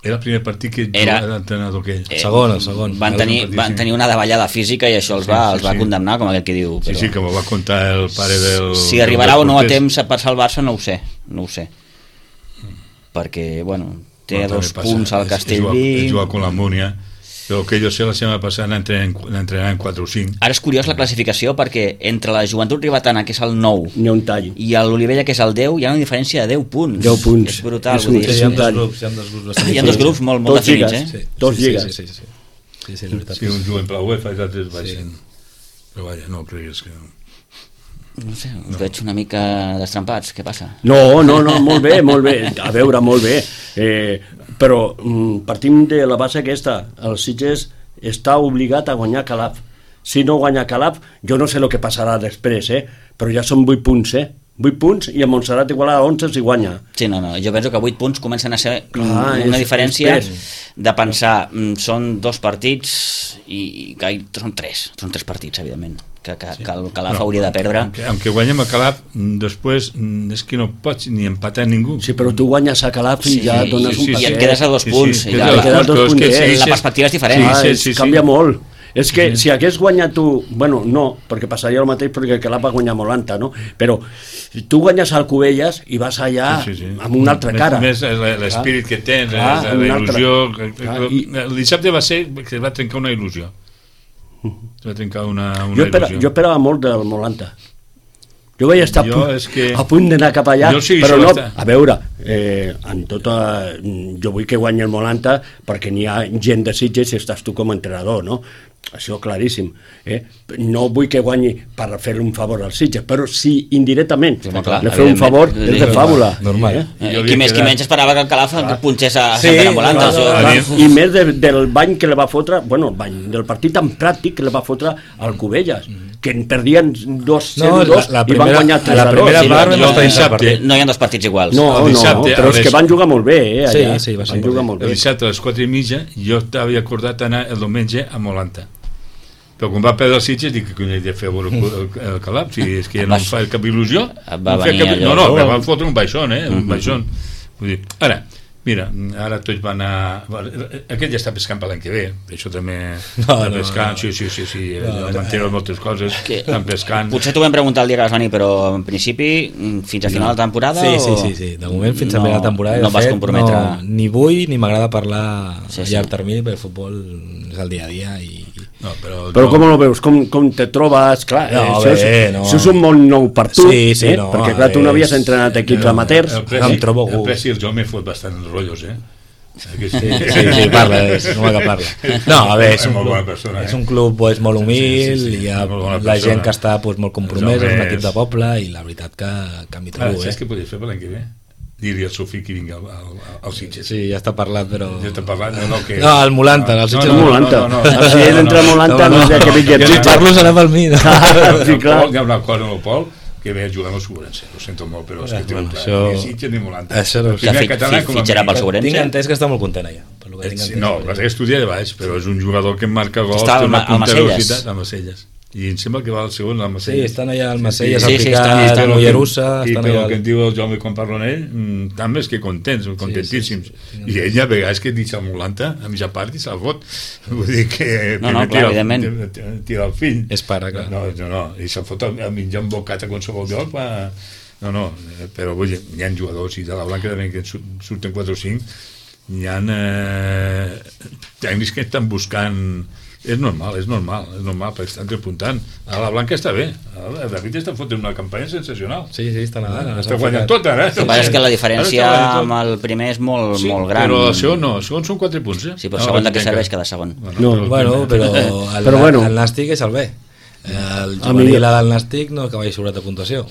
Era el primer partit que jugava l'entrenador aquell. El segon. Van tenir una davallada física i això els va condemnar, com aquell que diu. Però... Sí, com ho va contar el pare del... Si arribarà o no a temps a passar el Barça, no ho sé. Perquè, bueno, té 2 punts al Castellví... Juga con la Múnia, però que jo sé la setmana passada n'entrenarà en 4 o 5. Ara és curiós la classificació perquè entre la Joventut Ribetana, que és el 9, hi ha un tall, i l'Olivella, que és el 10, hi ha una diferència de 10 punts. 10 punts. És brutal. Hi ha 2 grups molt definits, Tots lligues. Sí, un juguen per la UEFA i l'altre baixen. Però vaja, no creguis que... No sé, us veig una mica destrampats, què passa? No, molt bé, a veure, molt bé, però partim de la base aquesta, el Sitges està obligat a guanyar Calaf. Si no guanya Calaf, jo no sé el que passarà després, però ja són 8 punts, 8 punts, i a Montserrat Igualada 11 si guanya. Sí, no, jo penso que 8 punts comencen a ser una diferència de pensar, són 2 partits i són 3 partits, evidentment, que el Calaf hauria de perdre. Aunque guanyem a Calaf, després és que no pots ni empatar ningú. Sí, però tu guanyes a Calaf i ja dones un i et quedes a 2 punts. La perspectiva és diferent. Canvia molt. És que si hagués guanyat tu, bueno, no, perquè passaria el mateix perquè el Calaf va guanyar Molanta, no? Però tu guanyes al Cubelles i vas allà amb una altra cara. Més l'espírit que tens, la il·lusió. El dissabte va ser que es va trencar una il·lusió. Es va trencar una il·lusió. Jo esperava molt del Molanta. Jo vaig estar a punt d'anar cap allà, però no, a veure, jo vull que guanyi el Molanta perquè n'hi ha gent de Sitges i estàs tu com a entrenador, no? Això claríssim. No vull que guanyi per fer un favor als Sitges, però si indirectament li feu un favor, és de fàbula. Normal. Qui menys esperava que el Calaf punxés a Sant Molanta. I més del bany que li va fotre, bueno, el bany del partit tan pràctic que li va fotre al Cubelles, que en perdien 2-0-2 i van guanyar 3-2. No hi ha 2 partits iguals. No, però és que van jugar molt bé, allà. Sí, van jugar molt bé. El dissabte a les 4:30 jo t'havia acordat anar el diumenge a Molanta. Però quan va perdre els Sitges dic que he de fer el Calaf, si és que ja no em fa cap il·lusió. No, me van fotre un baixón, un baixón. Ara, mira, ara tots van a... Aquest ja està pescant per l'any que ve, això també està pescant, sí, mantenen moltes coses, estan pescant. Potser t'ho vam preguntar el dia que vas venir, però en principi fins a final de temporada... Sí, de moment fins a final de temporada. No vas comprometre... Ni vull ni m'agrada parlar a llarg termini, perquè el futbol és el dia a dia i... Però com ho veus? Com te trobes? Clar, això és un món nou per tu, perquè clar, tu no havies entrenat equips amateurs. El Pressi el jo m'he fot bastant rotllos, Sí, parla, no m'ha que parla. No, a veure, és un club molt humil, hi ha la gent que està molt compromesa, és un equip de poble, i la veritat que m'hi trobo. Saps què podries fer per l'any que ve? Dir-li al seu fill que vingui al Sitges. Sí, ja està parlat, però... Ja està parlat, no, el Molanta, el Sitges Molanta. Si ell entra a Molanta, no sé què vingui. Si parlo serà pel mi. Sí, clar. Hi ha una cosa amb el Pol, que ve a jugar amb el Segurense. Ho sento molt, però és que té un clar. Ni Sitges ni Molanta. Fitxarà pel Segurense. Tinc entès que està molt content allà. No, va estudiar de baix, però és un jugador que marca gols, té una punta de velocitat a Macelles. I em sembla que va al segon al Macelles. Sí, estan allà al Macelles, estan a Mollerussa. I pel que em diu el Jaume quan parlo amb ell, també és que contents, contentíssims. I ell a vegades que deixa el Molanta a mitja part i se'l fot. Vull dir que tira el fill. És pare, clar. No, i se'l fot a mitjar un bocat a qualsevol lloc. No, però vull dir, hi ha jugadors i de la Blanca també que surten 4 o 5, hi ha tècnics que estan buscant. És normal, perquè estan repuntant. A la Blanca està bé. El David està fotent una campanya sensacional. Sí, està nedant. Està guanyant tot, ara. El que passa és que la diferència amb el primer és molt gran. Però el segon no, el segon són 4 punts. Sí, però el segon de què serveix cada segon? Però el Nàstic és el B. El juvenil del Nàstic no acaba sobrat de puntuació.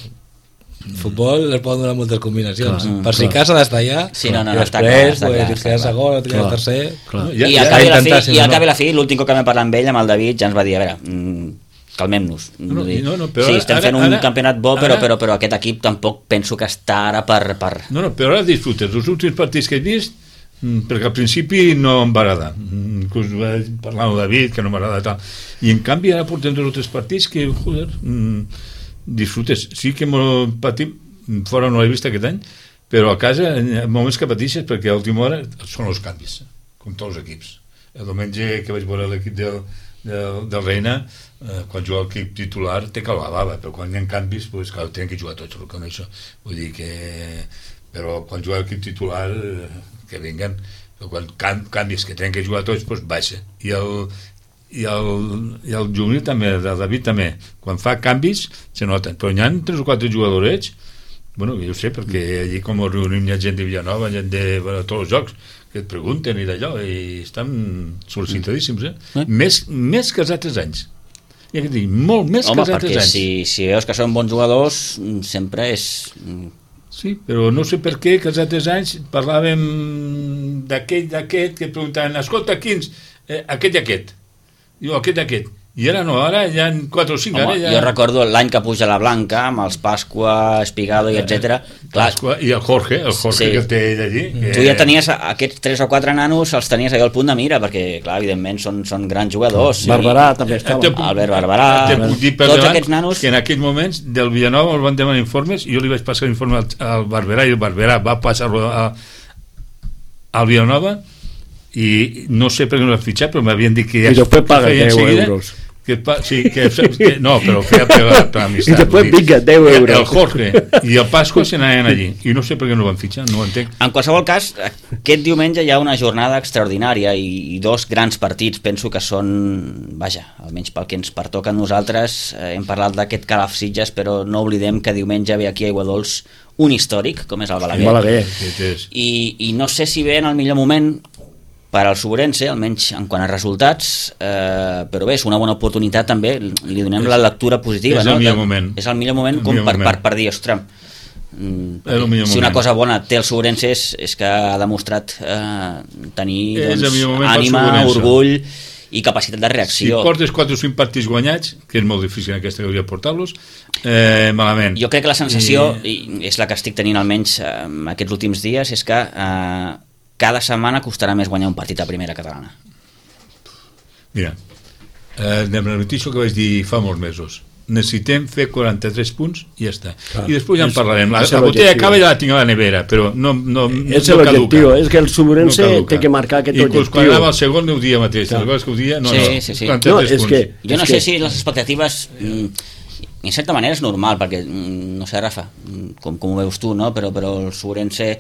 El futbol es poden donar moltes combinacions. Per si cas ha d'estar allà, i després si queda segon o queda tercer. I al cap i la fi, l'últim cop que vam parlar amb ell, amb el David, ja ens va dir, a veure, calmem-nos. Sí, estem fent un campionat bo, però aquest equip tampoc penso que està ara per... No, però ara disfrutes els últims partits que he vist, perquè al principi no em va agradar. Inclús vaig parlar amb el David, que no m'agrada tal. I en canvi ara portem 2 o 3 partits que, joder... disfrutes, sí que patim fora no l'he vist aquest any, però a casa hi ha moments que pateixes perquè a última hora són els canvis, com tots els equips. El diumenge que vaig veure l'equip del Reina, quan juga l'equip titular té que la bava, però quan hi ha canvis clar, tenen que jugar tots, com això vull dir que, però quan juga l'equip titular que vinguen, però quan canvis que tenen que jugar tots, baixa, i el juvenil també, el David també, quan fa canvis se noten, però hi ha 3 o 4 jugadorets, bueno, jo ho sé, perquè allí com reunim hi ha gent de Villanova, gent de tots els jocs, que et pregunten i d'allò, i estan sol·licitadíssims, més que els altres anys. I que dir, molt més que els altres anys. Home, perquè si veus que són bons jugadors, sempre és... Sí, però no sé per què que els altres anys parlàvem d'aquest, que preguntaven, escolta, quins, aquest i aquest. Diu, aquest, I ara no, ara hi ha 4 o 5. Home, ara ja... Jo recordo l'any que puja la Blanca, amb els Pasqua, Espigado i etc. Pasqua i el Jorge sí. Que té ell allí. Tu ja tenies aquests 3 o 4 nanos, els tenies allà al punt de mira, perquè, clar, evidentment són grans jugadors. Barberà també estava. Albert Barberà, tots aquests nanos... Que en aquells moments del Villanova els van demanar informes, i jo li vaig passar l'informe al Barberà, i el Barberà va passar-lo al Villanova, i no sé per què no l'han fitxat, però m'havien dit que ja... I després paga 10 euros. No, però feia per amistat. I després vinga, 10 euros. El Jorge i el Pasqua se n'anaven allí, i no sé per què no van fitxar, no ho entenc. En qualsevol cas, aquest diumenge hi ha una jornada extraordinària i 2 grans partits, penso que són, vaja, almenys pel que ens pertoca a nosaltres. Hem parlat d'aquest Calaf Sitges, però no oblidem que diumenge ve aquí a Aiguadols un històric, com és el Balaguer. I no sé si ve en el millor moment per al Suburense, almenys en quant a resultats, però bé, és una bona oportunitat també, li donem la lectura positiva. És el millor moment. És el millor moment com per dir, ostres, si una cosa bona té el Suburense és que ha demostrat tenir ànima, orgull i capacitat de reacció. Si portes 4 o 5 partits guanyats, que és molt difícil en aquesta categoria portar-los, malament. Jo crec que la sensació, i és la que estic tenint almenys aquests últims dies, és que cada setmana costarà més guanyar un partit a primera catalana. Mira, de la notícia que vaig dir fa molts mesos, necessitem fer 43 punts i ja està. Clar, i després ja en parlarem. La botella acaba i ja la tinc a la nevera, però no és l'objectiu, és que el Suburense té que marcar aquest objectiu. Inclús quan anava al segon ho dia mateix, que ho dia, sí. Jo no sé si les expectatives, en certa manera és normal, perquè, no sé, Rafa, com ho veus tu, no? Però el Suburense,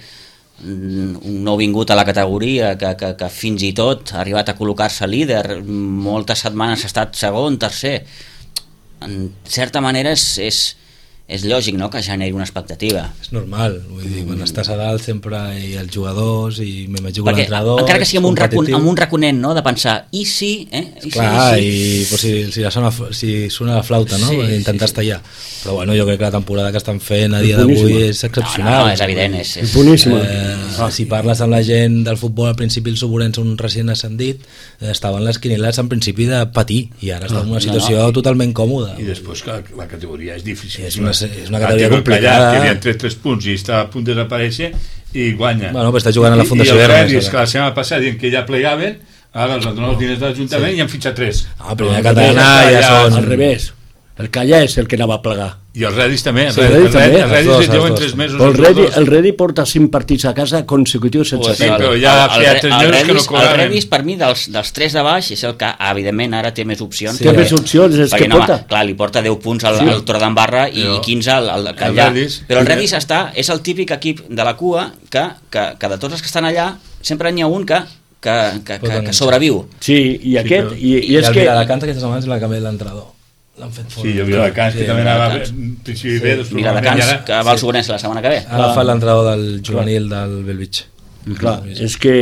un nou vingut a la categoria que fins i tot ha arribat a col·locar-se líder, moltes setmanes ha estat segon, tercer, en certa manera és lògic, no?, que generi una expectativa. És normal, vull dir, quan estàs a dalt sempre hi ha els jugadors i m'imagino que l'entrenador... Encara que sigui amb un raconet, no?, de pensar, i si... Clar, i pues, si sona la flauta, no?, intentar estar allà. Però bueno, jo crec que la temporada que estan fent a dia d'avui és excepcional. No, és evident, és boníssima. Si parles amb la gent del futbol, al principi el Suburense, un recient ascendit, estaven les quinieles en principi de patir, i ara està en una situació totalment còmoda. I després que la categoria és difícil. És una categoria complicada. Que havia tret 3 punts i està a punt de desaparèixer i guanya. Bueno, però està jugant a la Fundació Hermes. I els que la setmana passada diuen que ja plegaven, ara els han donat els diners de l'Ajuntament i han fitxat 3. Primera catalana ja són... Al revés. El Callà és el que anava a plegar. I el Redis també. El Redis lleven 3 mesos. El Redis porta 5 partits a casa consecutius sense sí, però ja feia 3 mesos que no cobraven. El Redis, per mi, dels 3 de baix, és el que, evidentment, ara té més opcions. Té més opcions, és que porta. Clar, li porta 10 punts al Torredembarra i 15 al Callà. Però el Redis és el típic equip de la cua que de tots els que estan allà sempre n'hi ha un que sobreviu. Sí, i aquest... I és que... La canta aquesta setmana és la que ve l'entrenador. L'han fet fora. Sí, jo vi Viladecans, que també anava principi bé. Viladecans, que va al Suburense la setmana que ve. Ara fa l'entrenador del juvenil del Bellvitge. Clar, és que,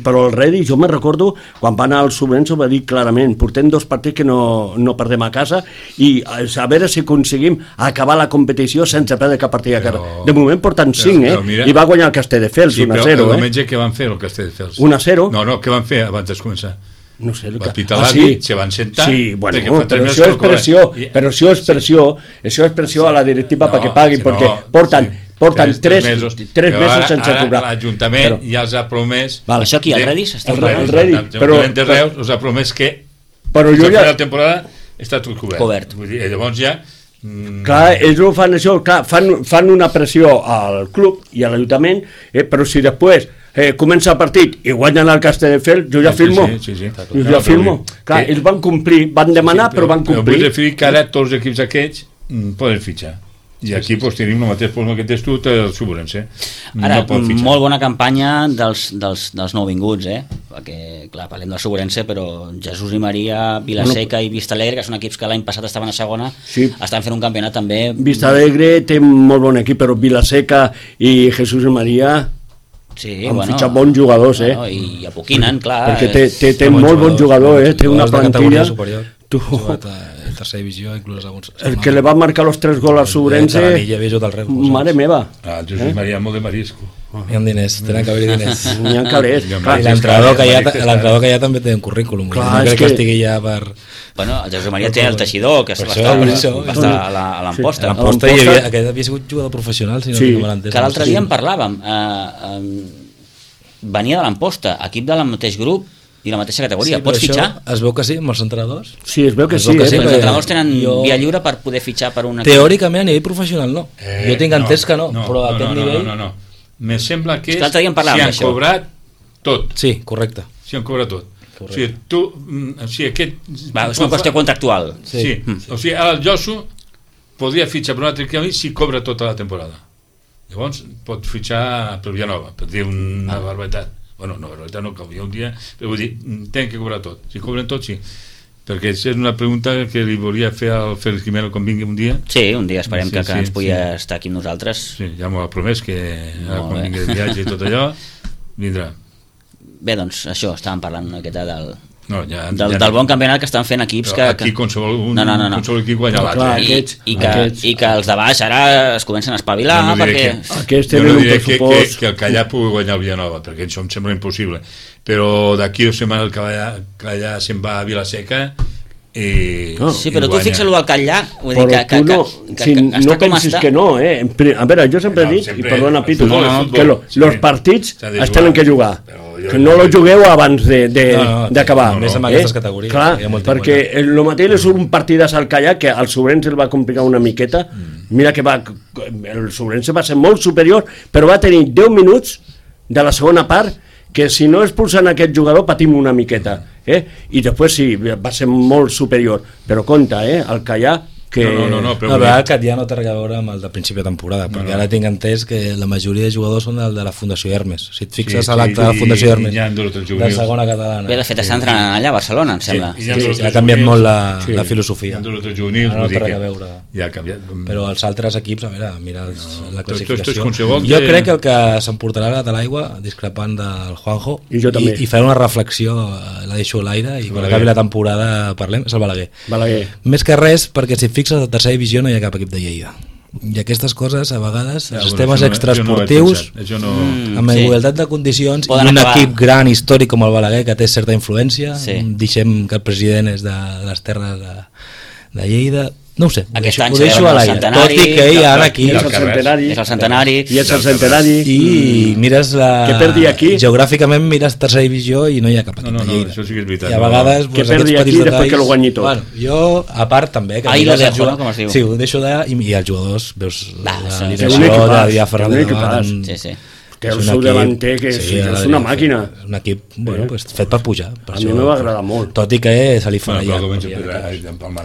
però el Redis, jo me recordo quan va anar al Suburense, va dir clarament, portem 2 partits que no perdem a casa i a veure si aconseguim acabar la competició sense perdre cap partit a casa. De moment porten 5, i va guanyar el Castelldefels 1-0. Sí, però el diumenge què van fer el Castelldefels? 1-0. No, què van fer abans de començar? No sé, va pitar l'àrbit, se van sentar. Sí, bueno, però això és pressió, a la directiva perquè paguin, perquè porten 3 mesos sense cobrar. L'Ajuntament ja els ha promès... Això aquí, el Redis? El Redis, però... de Reus els ha promès que la temporada està tot cobert. Llavors ja... Clar, ells no fan això, fan una pressió al club i a l'Ajuntament, però si després comença el partit i guanyen el Castelldefels, jo ja firmo. Jo ja firmo. Clar, ells van complir, van demanar, però van complir. Vull referir que ara tots els equips aquests poden fitxar. I aquí tenim el mateix problema que tens tu del Suburense. Ara, molt bona campanya dels nouvinguts, perquè, clar, parlem del Suburense, però Jesús i Maria, Vilaseca i Vistalegre, que són equips que l'any passat estaven a segona, estan fent un campionat també... Vistalegre té molt bon equip, però Vilaseca i Jesús i Maria... han fitxat bons jugadors, i apoquinen, clar. Perquè té molt bon jugador, té una plantilla... En tercera divisió, inclús alguns... El que le va marcar los 3 gols al Suburense... Mare meva. Jesús Maria, molt de marisco. Hi ha diners, tenen que haver-hi diners. N'hi ha calés. I l'entrenador que hi ha també té un currículum. No crec que estigui ja per... Bueno, el Josep Maria té el Teixidor, que va estar a l'Amposta. A l'Amposta aquest havia sigut jugador professional, si no me l'entès. Que l'altre dia en parlàvem. Venia de l'Amposta, equip del mateix grup i la mateixa categoria. Pots fitxar? Es veu que sí, amb els entrenadors? Sí, es veu que sí. Els entrenadors tenen via lliure per poder fitxar per un equip. Teòricament, a nivell professional, no. Jo tinc entès que no, però a aquest nivell... No. Me sembla que si han cobrat tot. Sí, correcte. Si han cobrat tot. O sigui, tu... és una qüestió contractual. Sí. O sigui, el Josu podria fitxar per un altre equip si cobra tota la temporada. Llavors pot fitxar per Villanova, per dir una barbaritat. Bueno, no, barbaritat no, que hi ha un dia, però vull dir, tenen que cobrar tot. Si cobren tot, sí. Perquè és una pregunta que li volia fer al Félix Jimeno quan vingui un dia. Sí, un dia esperem que ens pugui estar aquí amb nosaltres. Sí, ja m'ho ha promès que quan vingui de viatge i tot allò vindrà. Bé, doncs això, estàvem parlant una miqueta del del bon campionat que estan fent equips que... Aquí qualsevol equip guanya l'altre. I que els de baix ara es comencen a espavilar perquè... Jo no diré que el Callà pugui guanyar el Villanova, perquè això em sembla impossible, però d'aquí 2 setmanes el Callà se'n va a Vilaseca i... Sí, però tu fixa-lo al Callà, vull dir que no pensis que no, a veure, jo sempre dic, i perdona Pitu, que els partits es tenen que jugar, que no lo jugueu abans d'acabar. Més amb aquestes categories. Clar, perquè el mateix és un partidàs al Callà que al Sobrense el va complicar una miqueta. Mira que el Sobrense va ser molt superior, però va tenir 10 minuts de la segona part que si no expulsen aquest jugador patim una miqueta. I després sí, va ser molt superior. Però compte, el Callà que... No, però... La veritat que ja no té res a veure amb el de principi de temporada, perquè ara tinc entès que la majoria de jugadors són el de la Fundació Hermes. Si et fixes a l'acte de la Fundació Hermes, de segona catalana. Bé, de fet, estan entrenant allà a Barcelona, em sembla. Ha canviat molt la filosofia. No té res a veure. Però els altres equips, a veure, mira la classificació. Jo crec que el que s'emportarà a l'aigua, discrepant del Juanjo, i fer una reflexió, la deixo a l'aire, i quan acabi la temporada parlem, és el Balaguer. Més que res, perquè si fixes a la tercera divisió no hi ha cap equip de Lleida i aquestes coses a vegades els temes extraesportius amb igualtat de condicions i un equip gran històric com el Balaguer que té certa influència, deixem que el president és de les terres de Lleida, no ho sé, ho deixo a l'aire, tot i que hi ha aquí és el centenari i mires geogràficament mires tercera divisió i no hi ha cap equip de Lleida, això sí que és veritat, i a vegades que perdi aquí després que el guanyi tot. Jo a part també ho deixo d'allà i els jugadors veus l'alineació de Diaferra té el seu delanter que és una màquina, un equip fet per pujar, a mi m'ha agradat molt, tot i que se li farà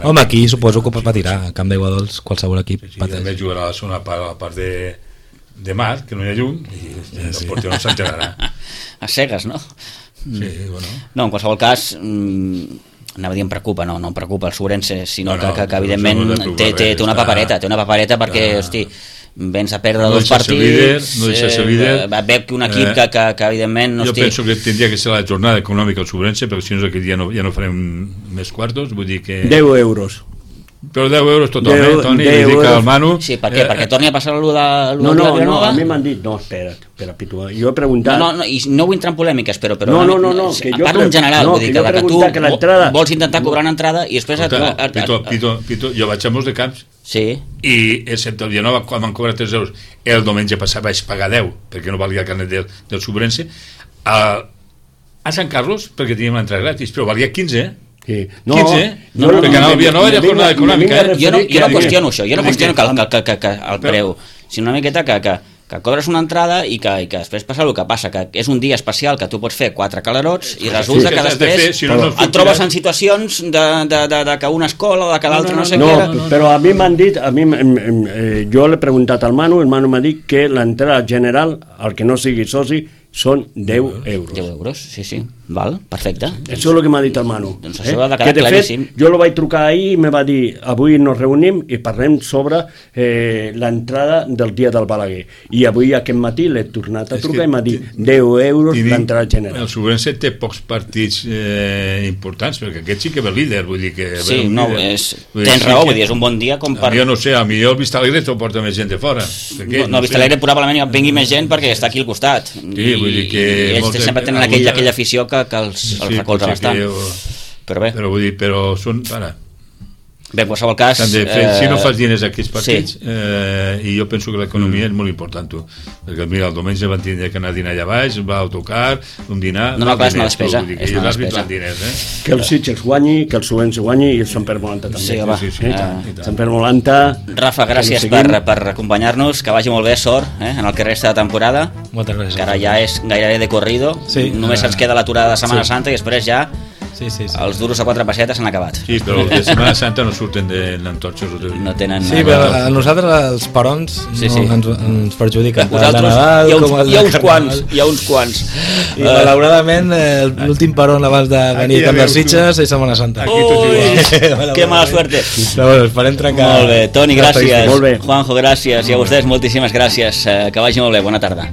home aquí suposo que patirà a Camp d'Aigua Dols qualsevol equip també jugarà a la segona part, a la part de mar que no hi ha llum i el porter no s'enterarà a cegues, no? No, en qualsevol cas anava a dir em preocupa, no em preocupa el Sobrense, sinó que evidentment té una papereta perquè, hosti, vens a perdre dos partits, no deixa ser líder, veu que un equip que evidentment jo penso que tindria que ser la jornada econòmica al Sobrense, perquè si no aquest dia ja no farem més quartos, vull dir que 10 euros però 10 euros totalment, Toni, li dic al Manu sí, per què? Perquè torni a passar allò de no, a mi m'han dit, no, espera Pitu, jo he preguntat i no vull entrar en polèmiques, però no, parlo en general, vull dir que tu vols intentar cobrar una entrada i després Pitu, jo vaig a molts de camps i excepte el Villanova quan van cobrar 3 euros el diumenge passat vaig pagar 10 perquè no valia el carnet del Sobrense a Sant Carlos perquè teníem l'entrada gratis, però valia 15 perquè anava al Villanova era jornada econòmica jo no qüestiono això, jo no qüestiono que el preu, sinó una miqueta que cobres una entrada i que després passa el que passa, que és un dia especial que tu pots fer 4 calarots i resulta que després et trobes en situacions de que una escola o de que l'altra no sé què. Però a mi m'han dit, jo l'he preguntat al Manu, el Manu m'ha dit que l'entrada general, el que no sigui soci, són 10 euros. 10 euros, sí. Val, perfecte. Això és el que m'ha dit el Manu. Doncs això ha de quedar claríssim. Jo lo vaig trucar ahir i me va dir avui nos reunim i parlem sobre l'entrada del dia del Balaguer. I avui aquest matí l'he tornat a trucar i m'ha dit 10 euros l'entrada general. El Subrense té pocs partits importants, perquè aquest sí que ve líder, vull dir que... Sí, no, tens raó, vull dir, és un bon dia com per... Jo no sé, a millor el Vistalegre t'ho porta més gent de fora. No, el Vistalegre probablement vingui més gent perquè està aquí al costat. Sí, vull dir que... I ells sempre tenen aquella afició que els recolza bastant. Però bé. Però vull dir, però són... Bé, en qualsevol cas... Si no fas diners a aquests partits, i jo penso que l'economia és molt important, tu. Perquè mira, el diumenge van tindre que anar a dinar allà baix, va a autocar, un dinar... No, clar, és una despesa. És una despesa. Que el Sitges guanyi, que el Subrense guanyi i el Sant Pere Molanta també. Sí, home. Sant Pere Molanta... Rafa, gràcies per acompanyar-nos, que vagi molt bé, sort, en el que resta de temporada. Moltes gràcies. Que ara ja és gairebé de corrido. Només ens queda l'aturada de Setmana Santa i després ja... Sí. Els duros a 4 pessetes s'han acabat. Sí, però de Setmana Santa no surten de l'entorxos. No tenen... Sí, però a nosaltres els perons ens perjudiquen. Vosaltres hi ha uns quants. I malauradament l'últim peron abans de venir a Camp de Sitges és Setmana Santa. Que mala suerte. Però bueno, esperem trencar... Molt bé, Toni, gràcies. Juanjo, gràcies. I a vostès moltíssimes gràcies. Que vagi molt bé, bona tarda.